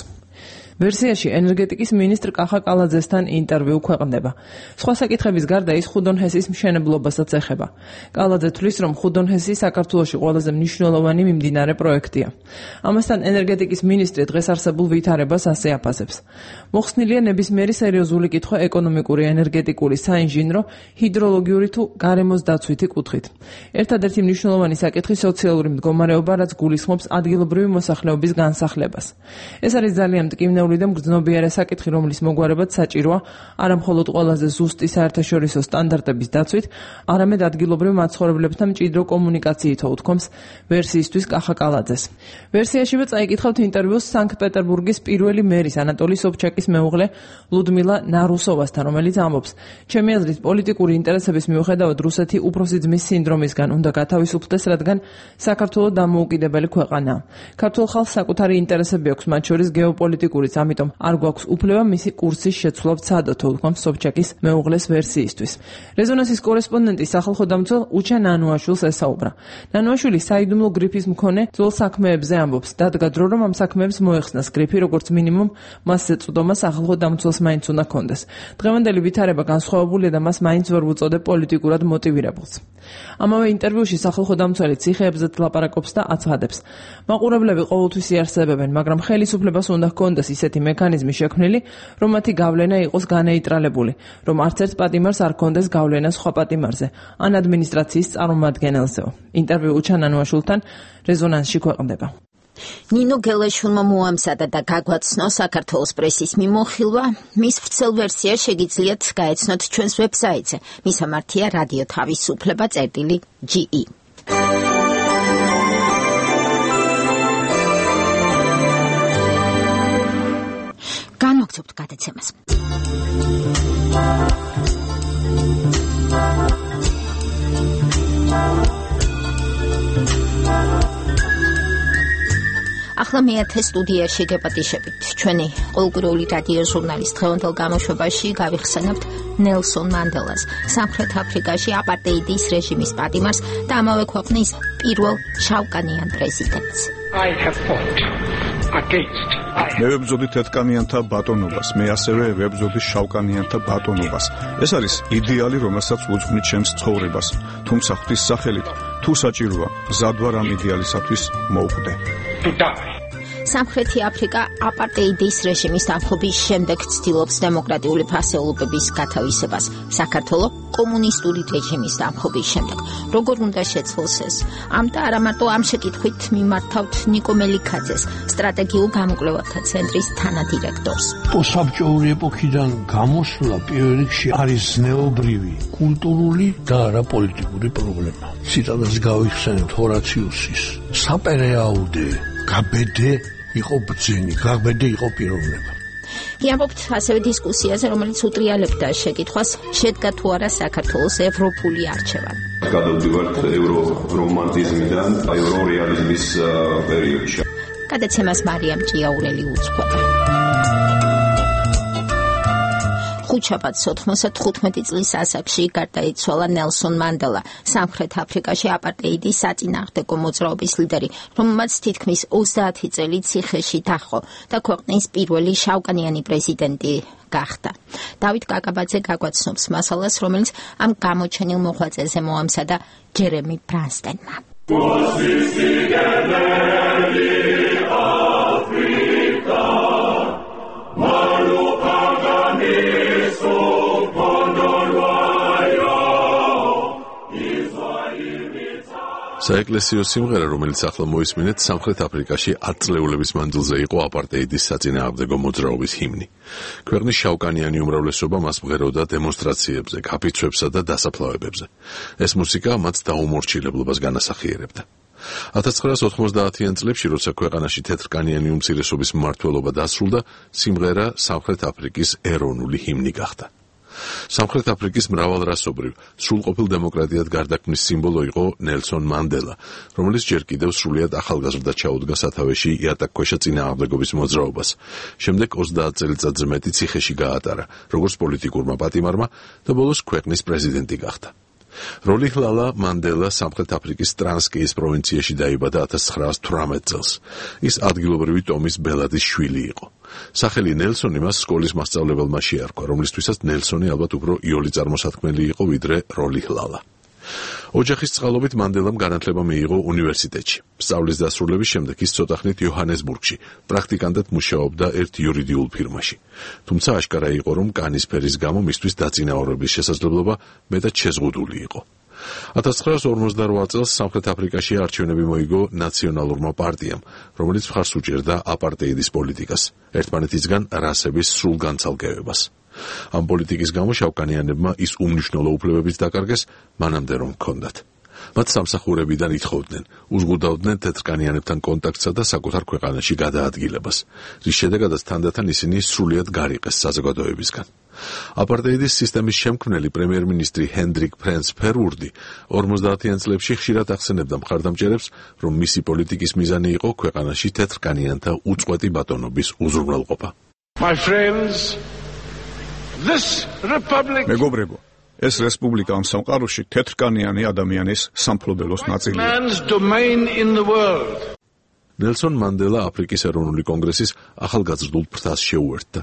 ვერსიაში ენერგეტიკის მინისტრ კახა კალაძესთან ინტერვიუ ქვეყნდება. სხვა საკითხების გარდა ის ხუდონჰესის მშენებლობასაც ეხება. კალაძე თვლის, რომ ხუდონჰესი საქართველოში ყველაზე მნიშვნელოვანი მიმდინარე პროექტია. ამასთან ენერგეტიკის მინისტრი დღეს არსებულ ვითარებას ასე აფასებს. მოხსნილია ნებისმიერი სერიოზული კითხვა ეკონომიკური, ენერგეტიკული, საინჟინრო, ჰიდროლოგიური თუ გარემოს დაცვითი კუთხით. ერთადერთი მნიშვნელოვანი საკითხი სოციალური მდგომარეობა, რაც გულისხმობს ადგილობრივი მოსახლეობის განსახლებას. ეს არის ძალიან მტკივნეული და მგრძნობიარე საკითხი, რომლის მოგვარებაც საჭიროა არა მხოლოდ ყველაზე ზუსტი საერთაშორისო სტანდარტების დაცვით, არამედ ადგილობრივ მაცხოვრებლებთან მჭიდრო კომუნიკაციითო, უთქვამს ვერსიისთვის კახა კალაძეს. ვერსიაშივე წაიკითხავთ ინტერვიუს სანქტ-პეტერბურგის პირველი მერის ანატოლი სობჩაკის მეუღლე ლუდმილა ნარუსოვასთან, რომელიც ამბობს: "ჩემი აზრით, პოლიტიკური ინტერესების მიუხედავად რუსეთი უფროსი ძმის სინდრომისგან უნდა გათავისუფლდეს, რადგან საქართველო დამოუკიდებელი ქვეყანაა. ქართულ ხალხს საკუთარი ინტერესები აქვს, მათ შორის გეოპოლიტიკური, ამიტომ არ გვაქვს უფლება მისი კურსის შეცვლა ვცადოთ", უთქვამს სობჩაკის მეუღლეს ვერსიისთვის. რეზონანსის კორესპონდენტი სახალხო დამცველ უჩა ნანუაშვილს ესაუბრა. ნანუაშვილი საიდუმლო გრიფის მქონე ძველ საქმეებზე ამბობს. დადგა დრო, რომ ამ საქმეებს მოეხსნას გრიფი, როგორც მინიმუმ მას ეწოდომა სახალხო დამცველს მაინც უნდა ჰქონდეს. დღევანდელი ვითარება განსხვავებულია და მას მაინც ვერ უწოდებ პოლიტიკურად მოტივირებულს. ამავე ინტერვიუში სახალხო დამცველი ციხეებზეც ლაპარაკობს და აცხადებს: "მაყურებლები ყოველთვის იარსებებენ, მაგრამ ხელისუფლებას უნდა ჰქონდეს ისეთი მექანიზმი შექმნილი, რომ მათი გავლენა იყოს განეიტრალებული, რომ არც ერთ პატიმარს არ ჰქონდეს გავლენა სხვა პატიმარზე, ან ადმინისტრაციის წარმომადგენელზეო." ინტერვიუ უჩა ნანუაშვილთან რეზონანსში ქვეყნდება. ნინო გელაშვილმა მოამზადა და გაგვაცნო საქართველოს პრესის მიმოხილვა. მის ვრცელ ვერსიას შეგიძლიათ გაეცნოთ ჩვენს ვებსაიტზე. მისამართია რადიო თავისუფლება.ge. განვაგრძობთ გადაცემას. ახლა მეათე სტუდიაში გეპატიშებით. ჩვენი ყოველკვირეული რადიო ჟურნალის დღევანდელ გამოშვებაში გავიხსენებთ ნელსონ მანდელას, სამხრეთ აფრიკაში აპარტეიდის რეჟიმის პატიმარს და ამავე ქვეყნის პირველ შავკანიან პრეზიდენტს. მე ვებრძოდი თეთრკანიანთა ბატონობას, მე ასევე ვებრძოდი შავკანიანთა ბატონობას. ეს არის იდეალი, რომელსაც უძღვნით ჩემს ცხოვრებას. თუმცა ღვთის სახელით, თუ საჭიროა, მზად ვარ ამ იდეალისათვის მოვკვდე. სამხრეთი აფრიკა აპარტეიდის რეჟიმის დამხობის შემდეგ ცდილობს დემოკრატიული ფასეულობების გათავისებას. საქართველო კომუნისტური რეჟიმის დამხობის შემდეგ. როგორ უნდა შეცვალოს ეს? ამ და არა მარტო ამ შეკითხვით მიმართავთ ნიკო მელიქაძეს, სტრატეგიულ გამოკვლევათა ცენტრის თანადირექტორს. პოსტსაბჭოური ეპოქიდან გამოსვლა პირველ რიგში არის ზნეობრივი, კულტურული და არა პოლიტიკური პრობლემა. ციტატას გავიხსენებთ ჰორაციუსის. საპერეაუდე გაბედე იყო ბრძენი, გაბედე იყო პიროვნება. გიამბობთ ასევე დისკუსიაზე, რომელიც უტრიალებდა შეკითხვას, შედგა თუ არა საქართველოს ევროპული არჩევანი. გადავდივართ ევრორომანტიზმიდან ევრორეალიზმის პერიოდში. გადაცემას მარიამ ჭიაურელი უძღვება. ხუთშაბათს 95 წლის ასაკში გარდაიცვალა ნელსონ მანდელა, სამხრეთ აფრიკაში აპარტეიდის საწინააღმდეგო მოძრაობის ლიდერი, რომელმაც თითქმის 30 წელი ციხეში დაჰყო და ქვეყნის პირველი შავკანიანი პრეზიდენტი გახდა. დავით კაკაბაძე გაგვაცნობს მასალას, რომელიც ამ გამოჩენილ მოღვაწეზე მოამზადა ჯერემი ბრანსტენმა. საეკლესიო სიმღერა, რომელიც ახლა მოისმინეთ, სამხრეთ აფრიკაში 10 წლეულების მანძილზე იყო აპარტეიდის საწინააღმდეგო მოძრაობის ჰიმნი. ქვეყნის შავკანიანი უმრავლესობა მას მღეროდა დემონსტრაციებზე, კაფიცვებსა და დასაფლავებებზე. ეს მუსიკა მათ დაუმორჩილებლობას განასახიერებდა. 1990-იან წლებში, როცა ქვეყანაში თეთრკანიანი უმცირესობის მმართველობა დასრულდა, სიმღერა სამხრეთ აფრიკის ეროვნული ჰიმნი გახდა. სამხრეთ აფრიკის მრავალრასობრივ, სრულყოფილ დემოკრატიად გარდაქმნის სიმბოლო იყო ნელსონ მანდელა, რომელიც ჯერ კიდევ სრულიად ახალგაზრდა ჩაუდგა სათავეში იატაკქვეშა წინააღმდეგობის მოძრაობას. შემდეგ 30 წელიწადზე მეტი ციხეში გაატარა, როგორც პოლიტიკურმა პატიმარმა და ბოლოს ქვეყნის პრეზიდენტი გახდა. როლიჰლალა მანდელა სამხრეთ აფრიკის ტრანსკეის პროვინციაში დაიბადა 1918 წელს. ის ადგილობრივი ტომის ბელადის შვილი იყო. სახელი ნელსონი მას სკოლის მასწავლებელმა შეარქვა, რომლისთვისაც ნელსონი ალბათ უფრო იოლი წარმოსათქმელი იყო ვიდრე როლიჰლალა. ოჯახის წყალობით მანდელამ განათლება მიიღო უნივერსიტეტში. სწავლის დასრულების შემდეგ ის ცოტახნით იოჰანესბურგში პრაქტიკანტად მუშაობდა ერთ იურიდიულ ფირმაში. თუმცა აშკარა იყო, რომ კანის ფერის გამო მისთვის დაწინაურების შესაძლებლობა მეტად შეზღუდული იყო. 1958 წელს სამხრეთ აფრიკაში არჩევნები მოიგო ნაციონალურმა პარტიამ, რომელიც მხარს უჭერდა აპარტეიდის პოლიტიკას, ერთმანეთისგან რასების სრულ განცალკევებას. ამ პოლიტიკის გამო შავკანიანებმა ის უმნიშვნელო უფლებებიც დაკარგეს, მანამდე რომ ჰქონდათ. მათ სამსახურებიდან ითხოვდნენ, უზღუდავდნენ თეთრკანიანებთან კონტაქტსა და საკუთარ ქვეყანაში გადაადგილებას, რის შედეგადაც თანდათან ისინი სრულიად გარიყეს საზოგადოებისგან. აპარტეიდის სისტემის შემქმნელი პრემიერ-მინისტრი ჰენდრიკ ფრენს ფერვურდი 50-იან წლებში ხშირად ახსენებდა მხარდამჭერებს, რომ მისი პოლიტიკის მიზანი იყო ქვეყანაში თეთრკანიანთა უწყვეტი ბატონობის უზრუნველყოფა. My friends, this republic მეგობრებო, ეს რესპუბლიკა ამ სამყაროში თეთრკანიანი ადამიანის სამფლობელოს ნაწილია. man's domain in the world. ნელსონ მანდელა აფრიკის ეროვნული კონგრესის ახალგაზრდულ ფრთას შეუერთდა.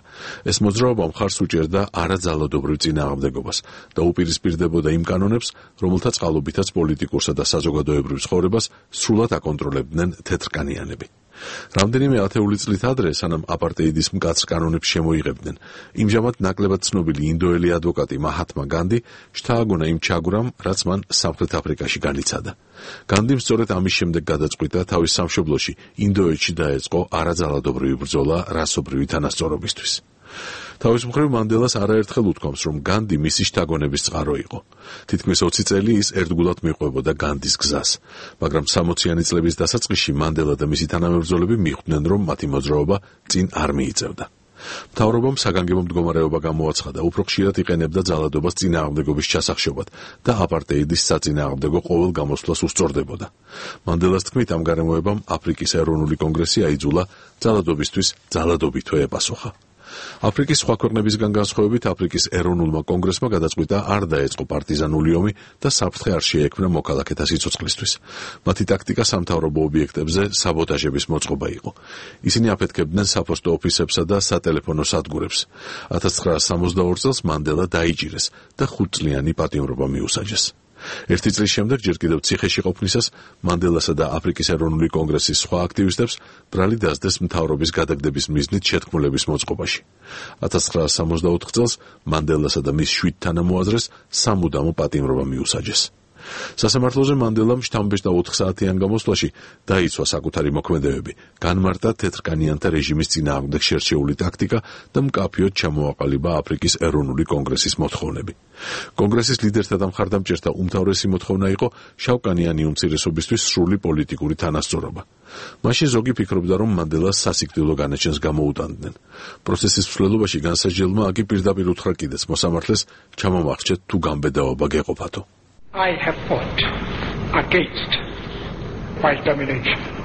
ეს მოძრაობა მხარს უჭერდა არაძალადობრივ წინააღმდეგობას და უპირისპირდებოდა იმ კანონებს, რომელთა წყალობითაც პოლიტიკურსა და საზოგადოებრივ ცხოვრებას სრულად აკონტროლებდნენ თეთრკანიანები. რამდენიმე ათეული წლით ადრე, სანამ აპარტეიდის მკაცრ კანონებს შემოიღებდნენ, იმჟამად ნაკლებად ცნობილი ინდოელი ადვოკატი მაჰათმა განდი შთააგონა იმ ჩაგვრამ, რაც მან სამხრეთ აფრიკაში განიცადა. განდიმ სწორედ ამის შემდეგ გადაწყვიტა თავის სამშობლოში, ინდოეთში დაეწყო არაძალადობრივი ბრძოლა რასობრივი თანასწორობისთვის. თავის მხრივ მანდელას არაერთხელ უთქვამს, რომ განდი მისი შთაგონების წყარო იყო. თითქმის 20 წელი ის ერთგულად მიყვებოდა განდის გზას, მაგრამ 60-იანი წლების დასაწყისში მანდელა და მისი თანამებრძოლები მიხვდნენ, რომ მათი მოძრაობა წინ არ მიიწევდა. მთავრობამ საგანგებო მდგომარეობა გამოაცხადა, უფრო ხშირად იყენებდა ძალადობას წინააღმდეგობის ჩასახშობად და აპარტეიდის საწინააღმდეგო ყოველ გამოსვლას უსწორდებოდა. მანდელას თქმით, ამ გარემოებამ აფრიკის ეროვნული კონგრესი აიძულა ძალადობისთვის ძალადობითო ეპასუხა. აფრიკის სხვა ქვეყნებისგან განსხვავებით, აფრიკის ეროვნულმა კონგრესმა გადაწყვიტა არ დაეწყო პარტიზანული ომი და საფრთხე არ შეექმნა მოქალაქეთა სიცოცხლისთვის. მათი ტაქტიკა სამთავრობო ობიექტებზე საბოტაჟების მოწყობა იყო. ისინი აფეთქებდნენ საფოსტო ოფისებსა და სატელეფონო სადგურებს. 1962 წელს მანდელა დაიჭირეს და 5 წლიანი პატიმრობა მიუსაჯეს. ერთი წლის შემდეგ, ჯერ კიდევ ციხეში ყოფნისას, მანდელასა და აფრიკის ეროვნული კონგრესის სხვა აქტივისტებს ბრალი დასდეს მთავრობის გადაგდების მიზნით შეთქმულების მოწყობაში. 1964 წელს მანდელასა და მის 7 თანამოაზრეს სამუდამო პატიმრობა მიუსაჯეს. სასამართლოზე მანდელამ შთამბეჭდა 4 საათიან გამოსვლაში დაიცვა საკუთარი მოქმედებები, განმარტა თეთრკანიანთა რეჟიმის წინააღმდეგ შერჩეული ტაქტიკა და მკაფიოდ ჩამოაყალიბა აფრიკის ეროვნული კონგრესის მოთხოვნები. კონგრესის ლიდერთა და მხარდამჭერთა უმთავრესი მოთხოვნა იყო შავკანიანი უმცირესობისთვის სრული პოლიტიკური თანასწორობა. მაშინ ზოგი ფიქრობდა, რომ მანდელას სასიკვდილო განაჩენს გამოუტანდნენ. პროცესის მსვლელობაში განსაჯელმა აგი პირდაპირ უთხრა კიდეც მოსამართლეს ჩამომახჩეთ თუ გამბედაობა გეყოფათო. I have fought against white domination.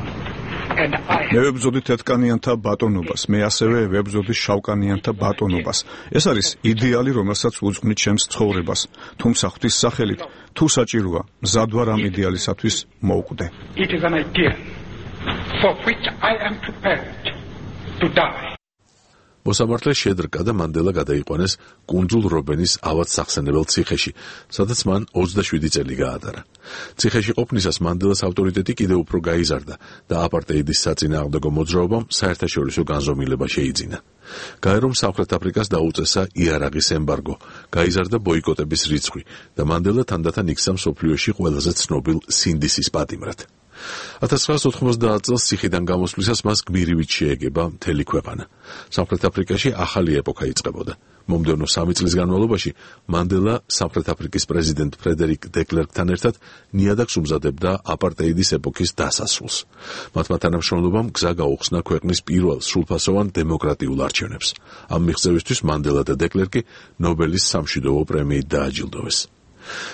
მე ვებრძოდი თეთრკანიანთა ბატონობას, მე ასევე ვებრძოდი შავკანიანთა ბატონობას. ეს არის იდეალი, რომელსაც უძღვნით ჩემს ცხოვრებას, თუმცა ღვთის სახელით, თუ საჭიროა, მზად ვარ ამ იდეალისათვის მოვკვდე. It is an ideal for which I am prepared to die. მოსამართლე შედრკა და მანდელა გადაიყვანეს კუნძულ რობენის ავად სახსენებელ ციხეში, სადაც მან 27 წელი გაატარა. ციხეში ყოფნისას მანდელას ავტორიტეტი კიდევ უფრო გაიზარდა და აპარტეიდის საწინააღმდეგო მოძრაობამ საერთაშორისო განზომილება შეიძინა. გაერომ სამხრეთ აფრიკას დაუწესა იარაღის ემბარგო, გაიზარდა ბოიკოტების რიცხვი და მანდელა თანდათან იქცა მსოფლიოში ყველაზე ცნობილ სინდისის პატიმრად. 1990 წელს ციხიდან გამოსვლისას მას გმირივით შეეგება მთელი ქვეყანა. სამხრეთ აფრიკაში ახალი ეპოქა იწყებოდა. მომდევნო 3 წლის განმავლობაში მანდელა სამხრეთ აფრიკის პრეზიდენტ ფრედერიკ დეკლერკთან ერთად ნიადაგს უმზადებდა აპარტეიდის ეპოქის დასასრულს. მათმა თანამშრომლობამ გზა გაუხსნა ქვეყნის პირველ სრულფასოვან დემოკრატიულ არჩევნებს. ამ მიღწევისთვის მანდელა და დეკლერკი ნობელის სამშვიდობო პრემიით დააჯილდოვეს.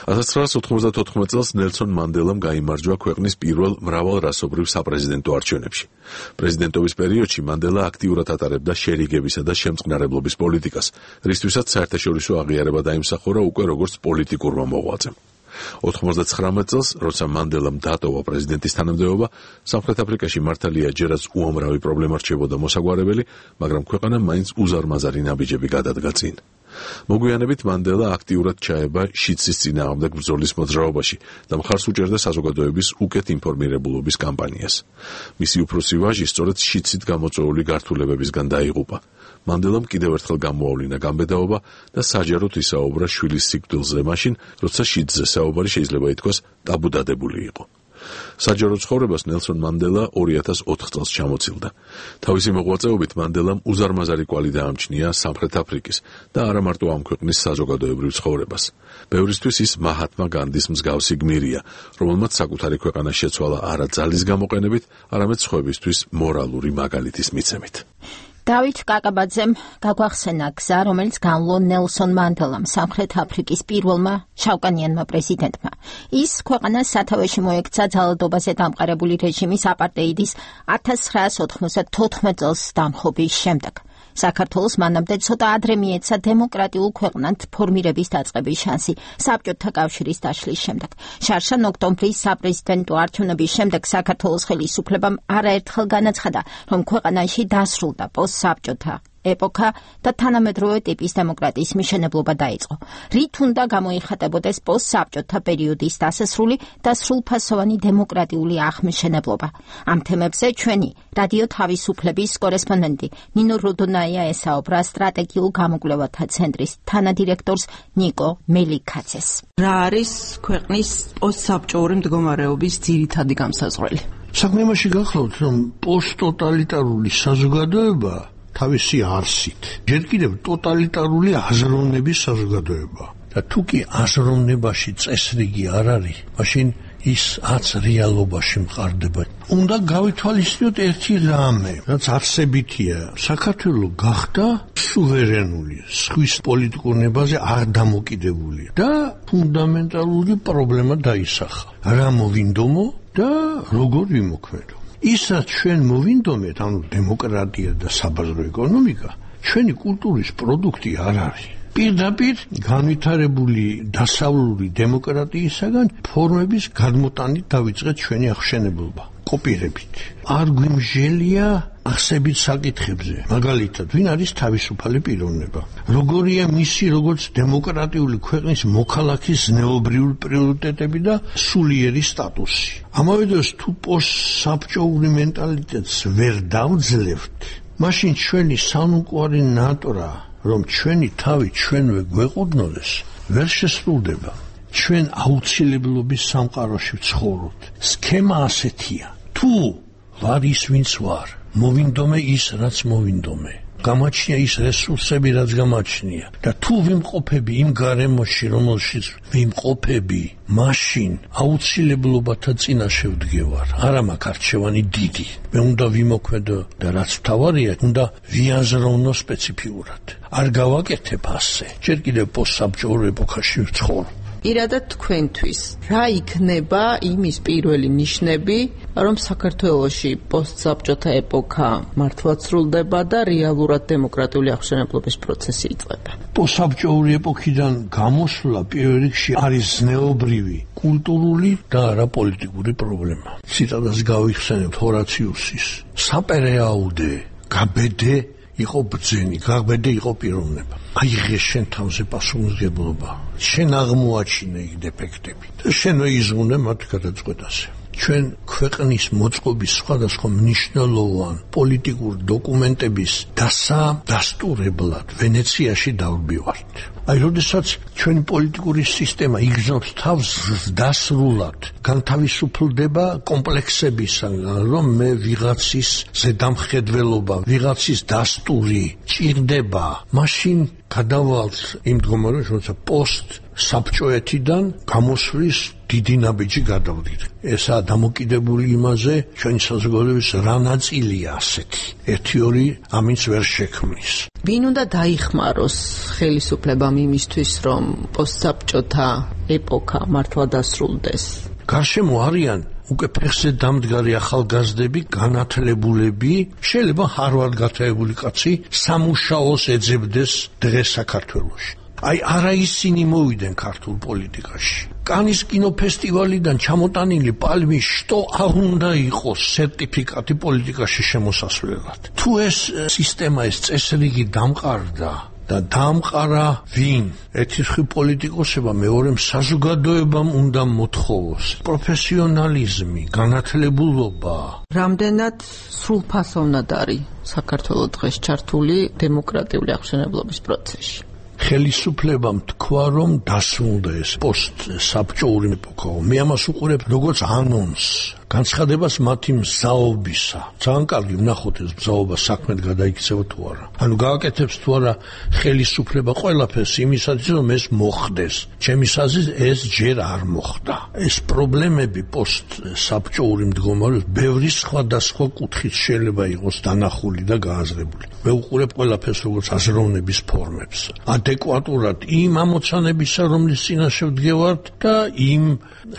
1994 წელს ნელსონ მანდელამ გაიმარჯვა ქვეყნის პირველ მრავალრასობრივ საპრეზიდენტო არჩევნებში. პრეზიდენტობის პერიოდში მანდელა აქტიურად ატარებდა შერიგებისა და შემწყნარებლობის პოლიტიკას, რისთვისაც საერთაშორისო აღიარება დაიმსახურა უკვე როგორც პოლიტიკურმა მოღვაწემ. 99 წელს, როცა მანდელამ დატოვა პრეზიდენტის თანამდებობა, სამხრეთ აფრიკაში მართალია ჯერაც უამრავი პრობლემა რჩებოდა მოსაგვარებელი, მაგრამ ქვეყანა მაინც უზარმაზარი ნაბიჯები გადადგა წინ. მოგვიანებით მანდელა აქტიურად ჩაება შიცის წინააღმდეგ ბრძოლის მოძრაობაში და მხარს უჭერდა საზოგადოების უკეთ ინფორმირებულობის კამპანიას. მისი უფროსი ვაჟი სწორედ შიცით გამოწვეული გართულებებისგან დაიღუპა. მანდელამ კიდევ ერთხელ გამოავლინა გამბედაობა და საჯაროდ ისაუბრა შვილის სიკვდილზე მაშინ, როცა შიცზე საუბარი შეიძლება ითქვას ტაბუდადებული იყო. საჯარო ცხოვრებას ნელსონ მანდელა 2004 წელს ჩამოცილდა. თავისი მოღვაწეობით მანდელამ უზარმაზარი კვალი დაამჩნია სამხრეთ აფრიკის და არა მარტო ამ ქვეყნის საზოგადოებრივ ცხოვრებას. ბევრისთვის ის მაჰათმა განდის მსგავსი გმირია, რომელმაც საკუთარი ქვეყანა შეცვალა არა ძალის გამოყენებით, არამედ სხვებისთვის მორალური მაგალითის მიცემით. დავით კაკაბაძემ გაგვახსენა გზა, რომელიც განვლო ნელსონ მანდელამ, სამხრეთ აფრიკის პირველმა შავკანიანმა პრეზიდენტმა. ის ქვეყანას სათავეში მოექცა ძალადობაზე დამყარებული რეჟიმის აპარტეიდის 1994 წელს დამხობის შემდეგ. საქართველოს მანამდე ცოტა ადრე მიეცა დემოკრატიულ ქვეყნად ფორმირების დაწყების შანსი საბჭოთა კავშირის დაშლის შემდეგ. შარშან ოქტომბრის საპრეზიდენტო არჩევნების შემდეგ საქართველოს ხელისუფლებამ არაერთხელ განაცხადა, რომ ქვეყანაში დასრულდა პოსტსაბჭოთა ეპოქა და თანამედროვე ტიპის დემოკრატიის მიშენებლობა დაიწყო. რით უნდა გამოიხატებოდეს პოსტსაბჭოთა პერიოდის დასასრული და სრულფასოვანი დემოკრატიული აღმშენებლობა. ამ თემებზე ჩვენი რადიო თავისუფლების კორესპონდენტი ნინო როდონაია ესაუბრა სტრატეგიულ გამოკვლევათა ცენტრის თანადირექტორს ნიკო მელიქაძეს. რა არის ქვეყნის პოსტსაბჭოური მდგომარეობის ძირითადი განსაზღვრელი? საქმე იმაში გახლავთ, რომ პოსტტოტალიტარული საზოგადოება თავისი არსით ჯერ კიდევ ტოტალიტარული აზროვნების საზოგადოება და თუ კი აზროვნებაში წესრიგი არ არის, მაშინ ის აც რეალობაში მყარდება. უნდა გავითვალისწინოთ ერთი რამე, რაც არსებითია. საქართველო გახდა სუვერენული, სხვის პოლიტიკურ ნებაზე არ დამოკიდებული და ფუნდამენტალური პრობლემა დაისახა. რა მოვინდომო და როგორ ვიმოქმედო. ისაც ჩვენ მოვინდომეთ, ანუ დემოკრატია და საბაზრო ეკონომიკა, ჩვენი კულტურის პროდუქტი არ არის. პირდაპირ განვითარებული დასავლური დემოკრატიისაგან ფორმების გადმოტანით დავიწყეთ ჩვენი აღშენებლობა, კოპირებით. არ გვიმჟელია ახსებით საკითხებზე. მაგალითად, ვინ არის თავისუფალი პიროვნება? როგორია მისი როგორც დემოკრატიული ქვეყნის მოქალაქის ზნეობრივი პრიორიტეტები და სულიერი სტატუსი? ამავე დროს თუ პოსტსაბჭოური მენტალიტეტს ვერ დავძლევთ, მაშინ ჩვენი სამყარო ნატრა, რომ ჩვენი თავი ჩვენვე გვეყუდნოდეს, ვერ შესრულდება. ჩვენ აუცილებლობის სამყაროში ვცხოვრობთ. სქემა ასეთია. თუ ვარ ის ვინც ვარ, მოვინდომე ის რაც მოვინდომე. გამაჩნია ის რესურსები რაც გამაჩნია და თუ ვიმყოფები იმ გარემოში რომელშიც ვიმყოფები, მაშინ აუცილებლობათა წინაშე ვდგევარ. არა მაქვს არჩევანი დიდი. მე უნდა ვიმოქმედო და რაც თავარია, უნდა ვიაზროვნო სპეციფიურად. არ გავაკეთებ ასე. ჯერ კიდევ პოსტსაბჭოურ ეპოქაში ვცხოვრობ. ირადა თქვენთვის რა იქნება იმის პირველი ნიშნები, რომ საქართველოში პოსტსაბჭოთა ეპოქა მართლაც სრულდება და რეალურად დემოკრატიული აღშენებლობის პროცესი იწყება? პოსტსაბჭოური ეპოქიდან გამოსვლა პირველ რიგში არის ზნეობრივი, კულტურული და არა პოლიტიკური პრობლემა. ციტატას გავიხსენებთ ჰორაციუსის. საპერეაუდე, გაბედე იყო ბრძენი, გაბედე იყო პიროვნება. აიღე შენ თავზე პასუხისმგებლობა. შენ აღმოაჩინე იქ დეფექტები და შენო იზღუნე მათ გადაწყვეტაზე. ჩვენ ქვეყნის მოწყობის სხვადასხვა მნიშვნელოვან პოლიტიკურ დოკუმენტების დასტურებლად ვენეციაში დავბივართ. აი, როდესაც ჩვენი პოლიტიკური სისტემა იგრძნობს თავს დასრულად, განთავისუფლდება კომპლექსებისგან, რომ მე ვიღაცის ზედამხედველობა, ვიღაცის დასტური ჭირდება, მაშინ გადავალთ იმ მდგომარეობაში, როცა პოსტსაბჭოეთიდან გამოსვლის დიდი ნაბიჯი გადავდით. ესაა დამოკიდებული იმაზე, ჩვენი საზოგადოების რა ნაწილია ასეთი. 1-2 ამინც ვერ შექმნის. ვინ უნდა დაიხმაროს ხელისუფლებამ იმისთვის, რომ პოსტსაბჭოთა ეპოქა მართლა დასრულდეს? გარშემო არიან უკვე ფეხზე დამდგარი ახალგაზრდები, განათლებულები, შეიძლება ჰარვარდ გათხოვებული კაცი სამუშაოს ეძებდეს დღეს საქართველოში. აი, არა ისინი მოვიდნენ ქართულ პოლიტიკაში. კანის კინოფესტივალიდან ჩამოტანილი პალმის შტო არ უნდა იყოს სერტიფიკატი პოლიტიკაში შემოსასვლელად. თუ ეს სისტემა, ეს წესრიგი დამყარდა და დამყარა ვინ? ერთი პოლიტიკოსება, მეორე საზოგადოებამ უნდა მოთხოვოს პროფესიონალიზმი, განათლებულობა. რამდენად სრულფასოვნად არის საქართველოს დღეს ჩართული დემოკრატიული აღშენებლობის პროცესში? ხელისუფლებამ თქვა, რომ დასრულდა ეს პოსტსაბჭოური ეპოქა. მე ამას უყურებ როგორც ანონს, განცხადებას მათი მზაობისა. ძალიან კარგი ვნახოთ ეს მზაობა საქმედ გადაიქცევა თუ არა. ანუ გააკეთებს თუ არა ხელისუფლება ყველაფერს იმისათვის, რომ ეს მოხდეს. ჩემის აზრით ეს ჯერ არ მოხდა. ეს პრობლემები პოსტსაბჭოური მდგომარეობის ბევრი სხვადასხვა კუთხით შეიძლება იყოს დანახული და გააზრებული. მე უყურებ ყველაფერს როგორც აზროვნების ფორმებს. ადეკვატურად იმ ამოცანებისა, რომლის წინაშე ვდგევართ და იმ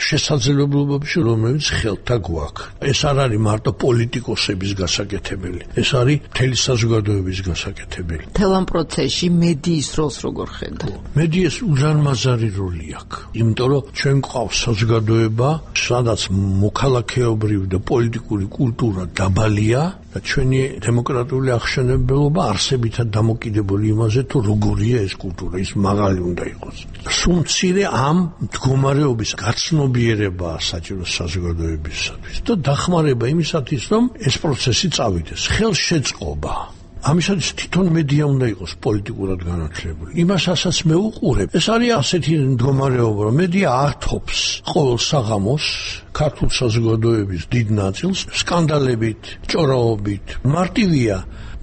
შესაძლებლობებში, რომელიც ხელთა გვაქვს. ეს არ არის მარტო პოლიტიკოსების გასაკეთებელი, ეს არის მთელი საზოგადოების გასაკეთებელი. მთელ ამ პროცესში მედიის როლს როგორ ხედავ? მედიას უზარმაზარი როლი აქვს, იმიტომ რომ ჩვენ გვყავს საზოგადოება, სადაც მოქალაქეობრივი და პოლიტიკური კულტურა დაბალია და ჩვენი დემოკრატიული აღშენებლობა არსებითად დამოკიდებული იმაზე, თუ როგორია ეს კულტურა, ის მაღალი უნდა იყოს. სულ მცირე ამ მდგომარეობის გაცნობიერებაა საჭირო საზოგადოებისათვის და დახმარება იმისათვის, რომ ეს პროცესი წავიდეს. ხელშეწყობა. ამისათვის თვითონ მედია უნდა იყოს პოლიტიკურად განათლებული. იმასაც მე უყურებ, ეს არის ასეთი მდგომარეობა, რომ მედია ართობს ყოველ საღამოს ქართულ საზოგადოების დიდ ნაწილს სკანდალებით, ჭორაობით. მარტივია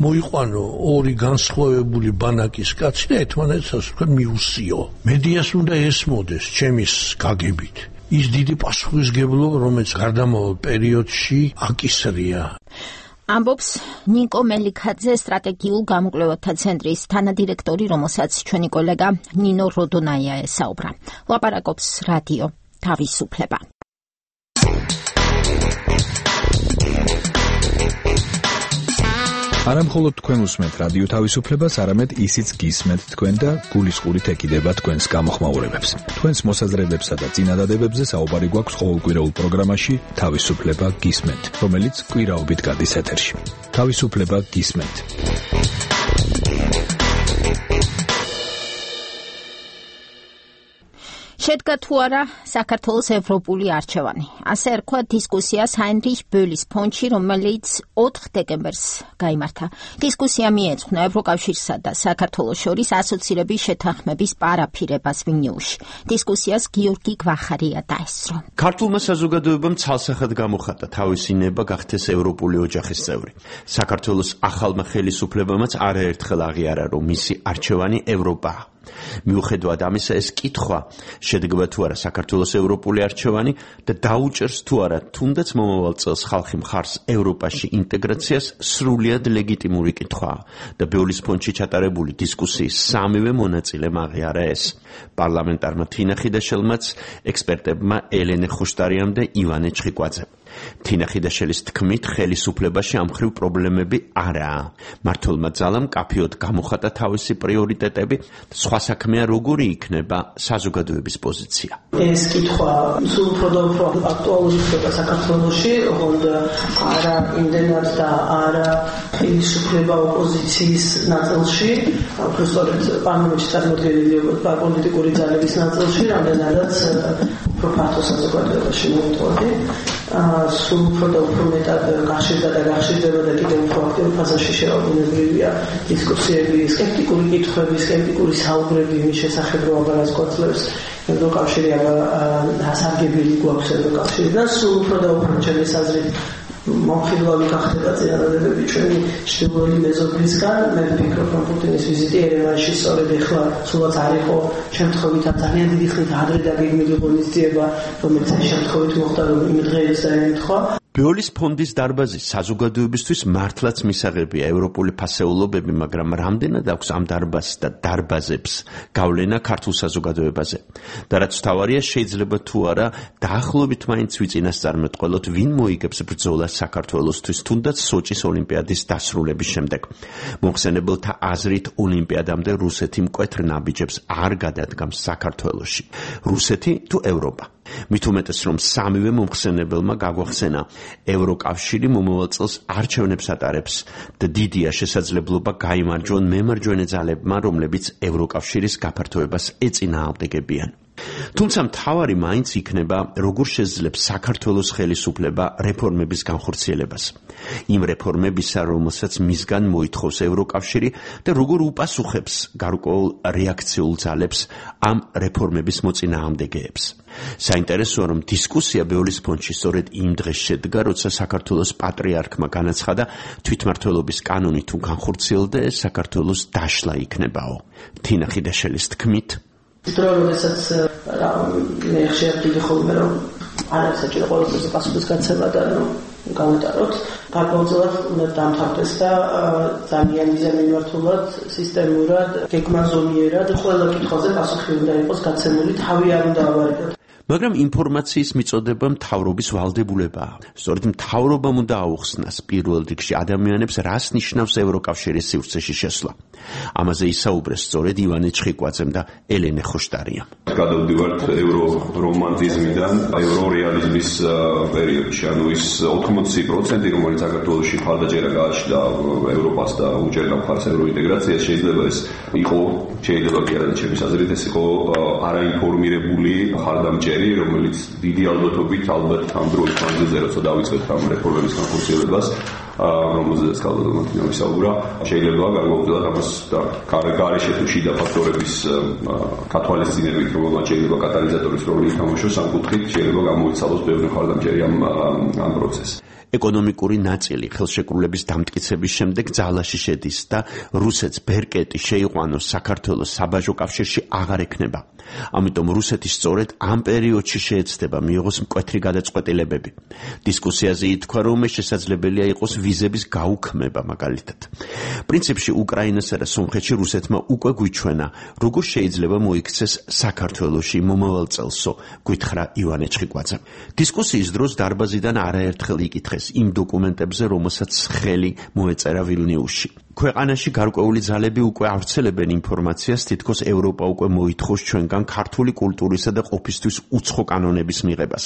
მოიყვანო ორი განსხვავებული ბანაკის კაცი და ერთმანეთს თქვენ მიუსიო. მედიას უნდა ესმოდეს ჩემის გაგებით ის დიდი პასუხისმგებლობა, რომელიც გარდამავალ პერიოდში აკისრია. ამბობს ნიკო მელიქაძე, სტრატეგიულ გამოკვლევათა ცენტრის თანადირექტორი, რომელსაც ჩვენი კოლეგა ნინო როდონაია ესაუბრა. ლაპარაკობს რადიო თავისუფლება. არა მხოლოდ თქვენ უსმენთ რადიო თავისუფლებას, არამედ ისიც გისმენთ თქვენ და გულისყურით ეკიდება თქვენს გამოხმაურებებს. თქვენს მოსაზრებებსა და წინადადებებზე საუბარი გვაქვს ყოველკვირეულ პროგრამაში თავისუფლება გისმენთ, რომელიც კვირაობით გადის ეთერში. თავისუფლება გისმენთ. შედგა თუ არა საქართველოს ევროპული არჩევანი. ასე რქვა დისკუსიას ჰაინრიხ ბოლის ფონდში, რომელიც 4 დეკემბერს გაიმართა. დისკუსია მიეძღვნა ევროკავშირსა და საქართველოს შორის ასოცირების შეთანხმების პარაფირებას ვილნიუსში. დისკუსიას გიორგი გვახარია დაესწრო. ქართულმა საზოგადოებამ ცალსახად გამოხატა თავისი ნება გახდეს ევროპული ოჯახის წევრი. საქართველოს ახალმა ხელისუფლებამაც არაერთხელ აღიარა, რომ მისი არჩევანი ევროპაა. მიუხედავად ამისა, ეს კითხვა შედგება თუ არა საქართველოს ევროპული არჩევანი და დაუჭერს თუ არა თუნდაც მომავალ წელს ხალხი მხარს ევროპაში ინტეგრაციას სრულიად ლეგიტიმური კითხვაა და ბეოლის ფონდში ჩატარებული დისკუსიის სამივე მონაწილემ აღიარა ეს. პარლამენტარმა თინა ხიდაშელმაც, ექსპერტებმა ელენე ხუშტარიამ და ივანე ჩხიკვაძემ. თინა ხიდაშელის თქმით, ხელისუფლებაში ამ მხრივ პრობლემები არაა. მმართველმა ძალამ კაფეოდ გამოხატა თავისი პრიორიტეტები, სხვა საქმეა როგორი იქნება საზოგადოების პოზიცია. ეს კითხვა სულ უფრო და უფრო აქტუალური ხდება საქართველოში, ოღონდ არა იმდენად და არა ხელისუფლება ოპოზიციის ნაწილში, უბრალოდ პარლამენტში წარმოდგენილი პოლიტიკური ძალების ნაწილში, რამდენადაც უფრო ფართო საზოგადოებაში მოვიტყოდი. სულ უფრო და უფრო მეტად გახშირდა და გახშირდება და კიდევ უფრო აქტიურ ფაზაში შევაბუნებრივია დისკუსიები, სკეპტიკური კითხვები, სკეპტიკური საუბრები იმის შესახებ, რომ აბარას კვეთლებს ევროკავშირი ასარგებელი გვაქვს ევროკავშირიდან, სულ უფრო და უფრო ჩემის აზრით მომხილველი გახდება წინადადებები ჩვენი ჩრდილოეთი მეზობლისგან. მე ვფიქრობ, რომ პუტინის ვიზიტი ერევანში სწორედ ეხლა სულაც არ იყო შემთხვევით ძალიან დიდი ხნით ადრე დაგეგმილი ღონისძიება, რომელიც შემთხვევით მოხდა, რომ იმ დღეს დაემთხვა. ბეოლის ფონდის დარბაზი საზოგადოებისთვის მართლაც მისაღებია ევროპული ფასეულობები, მაგრამ რამდენად აქვს ამ დარბაზს და დარბაზებს გავლენა ქართულ საზოგადოებაზე? და რაც თავარია, შეიძლება თუ არა დაახლოებით მაინც ვიწინასწარმეტყველოთ, ვინ მოიგებს ბრძოლას საქართველოსთვის, თუნდაც სოჭის ოლიმპიადის დასრულების შემდეგ. მოხსენებელთა აზრით, ოლიმპიადამდე რუსეთი მკვეთრ ნაბიჯებს არ გადადგამს საქართველოში. რუსეთი თუ ევროპა? მით უმეტეს, რომ სამივე მომხსენებელმა გაგვახსენა, ევროკავშირი მომავალ წელს არჩევნებს ატარებს და დიდია შესაძლებლობა გაიმარჯვონ მემარჯვენე ძალებმა, რომლებიც ევროკავშირის გაფართოებას ეწინააღმდეგებიან. თუმცა მთავარი მაინც იქნება, როგორ შეძლებს საქართველოს ხელისუფლება რეფორმების განხორციელებას. იმ რეფორმებისა, რომელსაც მისგან მოითხოვს ევროკავშირი და როგორ უპასუხებს გარკვეულ რეაქციულ ძალებს ამ რეფორმების მოწინააღმდეგეებს. საინტერესოა, რომ დისკუსია ბეოლის ფონდში სწორედ იმ დღეს შედგა, როცა საქართველოს პატრიარქმა განაცხადა, თვითმმართველობის კანონი თუ განხორციელდა, ეს საქართველოს დაშლა იქნებაო. თინა ხიდაშელის თქმით, დროებსაც მე ხშირად ხოლმე რომ არ საჭირო ყოველთვის პასუხის გაცემა და გავიტაროთ. გარკვეულწილად უნდა დამთავრდეს და ძალიან მიზანმიმართულად, სისტემურად, გეგმაზომიერად ყველა კითხვაზე პასუხი უნდა იყოს გაცემული, თავი არ უნდა ავარიდოთ. მაგრამ ინფორმაციის მიწოდება მთავრობის ვალდებულებაა. სწორედ მთავრობამ უნდა აუხსნას პირველ რიგში ადამიანებს, რას ნიშნავს ევროკავშირის სივრცეში შესვლა. ამაზე ისაუბრეს სწორედ ივანე ჩხიკვაძემ და ელენე ხუშტარიამ. გადავდივართ ევრორომანტიზმიდან ევრორეალიზმის პერიოდში, ანუ ის 80%, რომელიც საქართველოში მხარდაჭერა გააჩნდა ევროპას და უჭერდა მხარს ევროინტეგრაციას, შეიძლება ეს იყო, შეიძლება კი არა, ჩემის აზრით ეს იყო არაინფორმირებული მხარდამჭერი, რომელიც დიდი ალბათობით ალბათ ამ დროის მანძილზე, როცა დავიწყეთ ამ რეფორმების განხორციელებას, რომელზეც კალდომატინო ვისაუბრა, შეიძლება გარკვეულწილად ამას გარეშე თუ შიდა ფაქტორების კათვალისწინებით, რომელმაც შეიძლება კატალიზატორის როლი ითამაშოს, ამ კუთხით შეიძლება გამოიცალოს ბევრი მხარდამჭერი ამ პროცესს. ეკონომიკური ნაწილი ხელშეკრულების დამტკიცების შემდეგ ძალაში შედის და რუსეთს ბერკეტი შეიყვანოს საქართველოს საბაჟო კავშირში აღარ ექნება. ამიტომ რუსეთი სწორედ ამ პერიოდში შეეცდება მიიღოს მკვეთრი გადაწყვეტილებები. დისკუსიაზე ითქვა, რომ შესაძლებელია იყოს ვიზების გაუქმება მაგალითად. პრინციპში უკრაინასა და სომხეთში რუსეთმა უკვე გვიჩვენა, როგორ შეიძლება მოიქცეს საქართველოში მომავალ წელსო, გვითხრა ივანე ჩხიკვაძემ. დისკუსიის დროს დარბაზიდან არაერთხელ იკითხეს იმ დოკუმენტებზე, რომელსაც ხელი მოეწერა ვილნიუსში. ქვეყანაში გარკვეული ძალები უკვე ავრცელებენ ინფორმაციას, თითქოს ევროპა უკვე მოითხოვს ჩვენგან ქართული კულტურისა და ყოფისთვის უცხო კანონების მიღებას.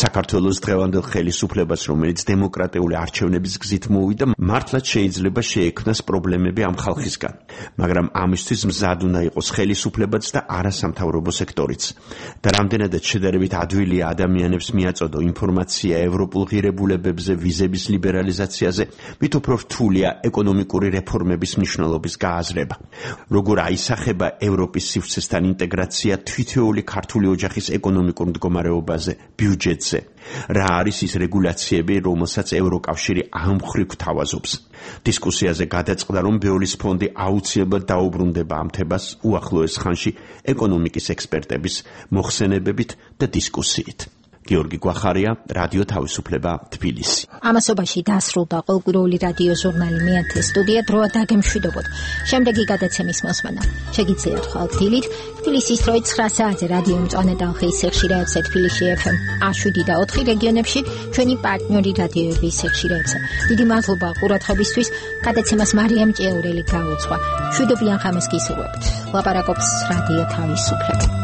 საქართველოს დღევანდელ ხელისუფლებას, რომელიც დემოკრატიული არჩევნების გზით მოვიდა, მართლაც შეიძლება შეექმნას პრობლემები ამ ხალხისგან, მაგრამ ამისთვის მზად უნდა იყოს ხელისუფლებაც და არასამთავრობო სექტორიც. და რამდენადაც შედარებით ადვილია ადამიანებს მიაწოდო ინფორმაცია ევროპულ ღირებულებებზე, ვიზების ლიბერალიზაციაზე, მით უფრო რთულია ეკონომიკური რეფორმების მნიშვნელობის გააზრება. როგორ აისახება ევროპის სივრცესთან ინტეგრაცია თითოეული ქართული ოჯახის ეკონომიკურ მდგომარეობაზე, ბიუჯეტზე. რა არის ის რეგულაციები, რომელსაც ევროკავშირი ამ მხრივ გთავაზობს. დისკუსიაზე გადაწყდა, რომ ბეოლის ფონდი აუცილებლად დაუბრუნდება ამ თემას უახლოეს ხანში ეკონომიკის ექსპერტების მოხსენებებით და დისკუსიით. გიორგი გვახარია, რადიო თავისუფლება, თბილისი. ამასობაში დასრულდა ყოველკვირეული რადიო ჟურნალი მეათე სტუდია, დროა დაგემშვიდობოთ. შემდეგი გადაცემის მოსმენა შეგიძლიათ ხალხდილით თბილისის დროით 9 საათზე რადიო მწვანე ტალღის სიხშირეებზე თბილისში FM 107 და 4 რეგიონებში, ჩვენი პარტნიორი რადიოების სიხშირეებზე. დიდი მადლობა ყურადღებისთვის. გადაცემას მარიამ ჭეურელი გაუძღვა. მშვიდობიან ღამეს გისურვებთ. ლაპარაკობს რადიო თავისუფლება.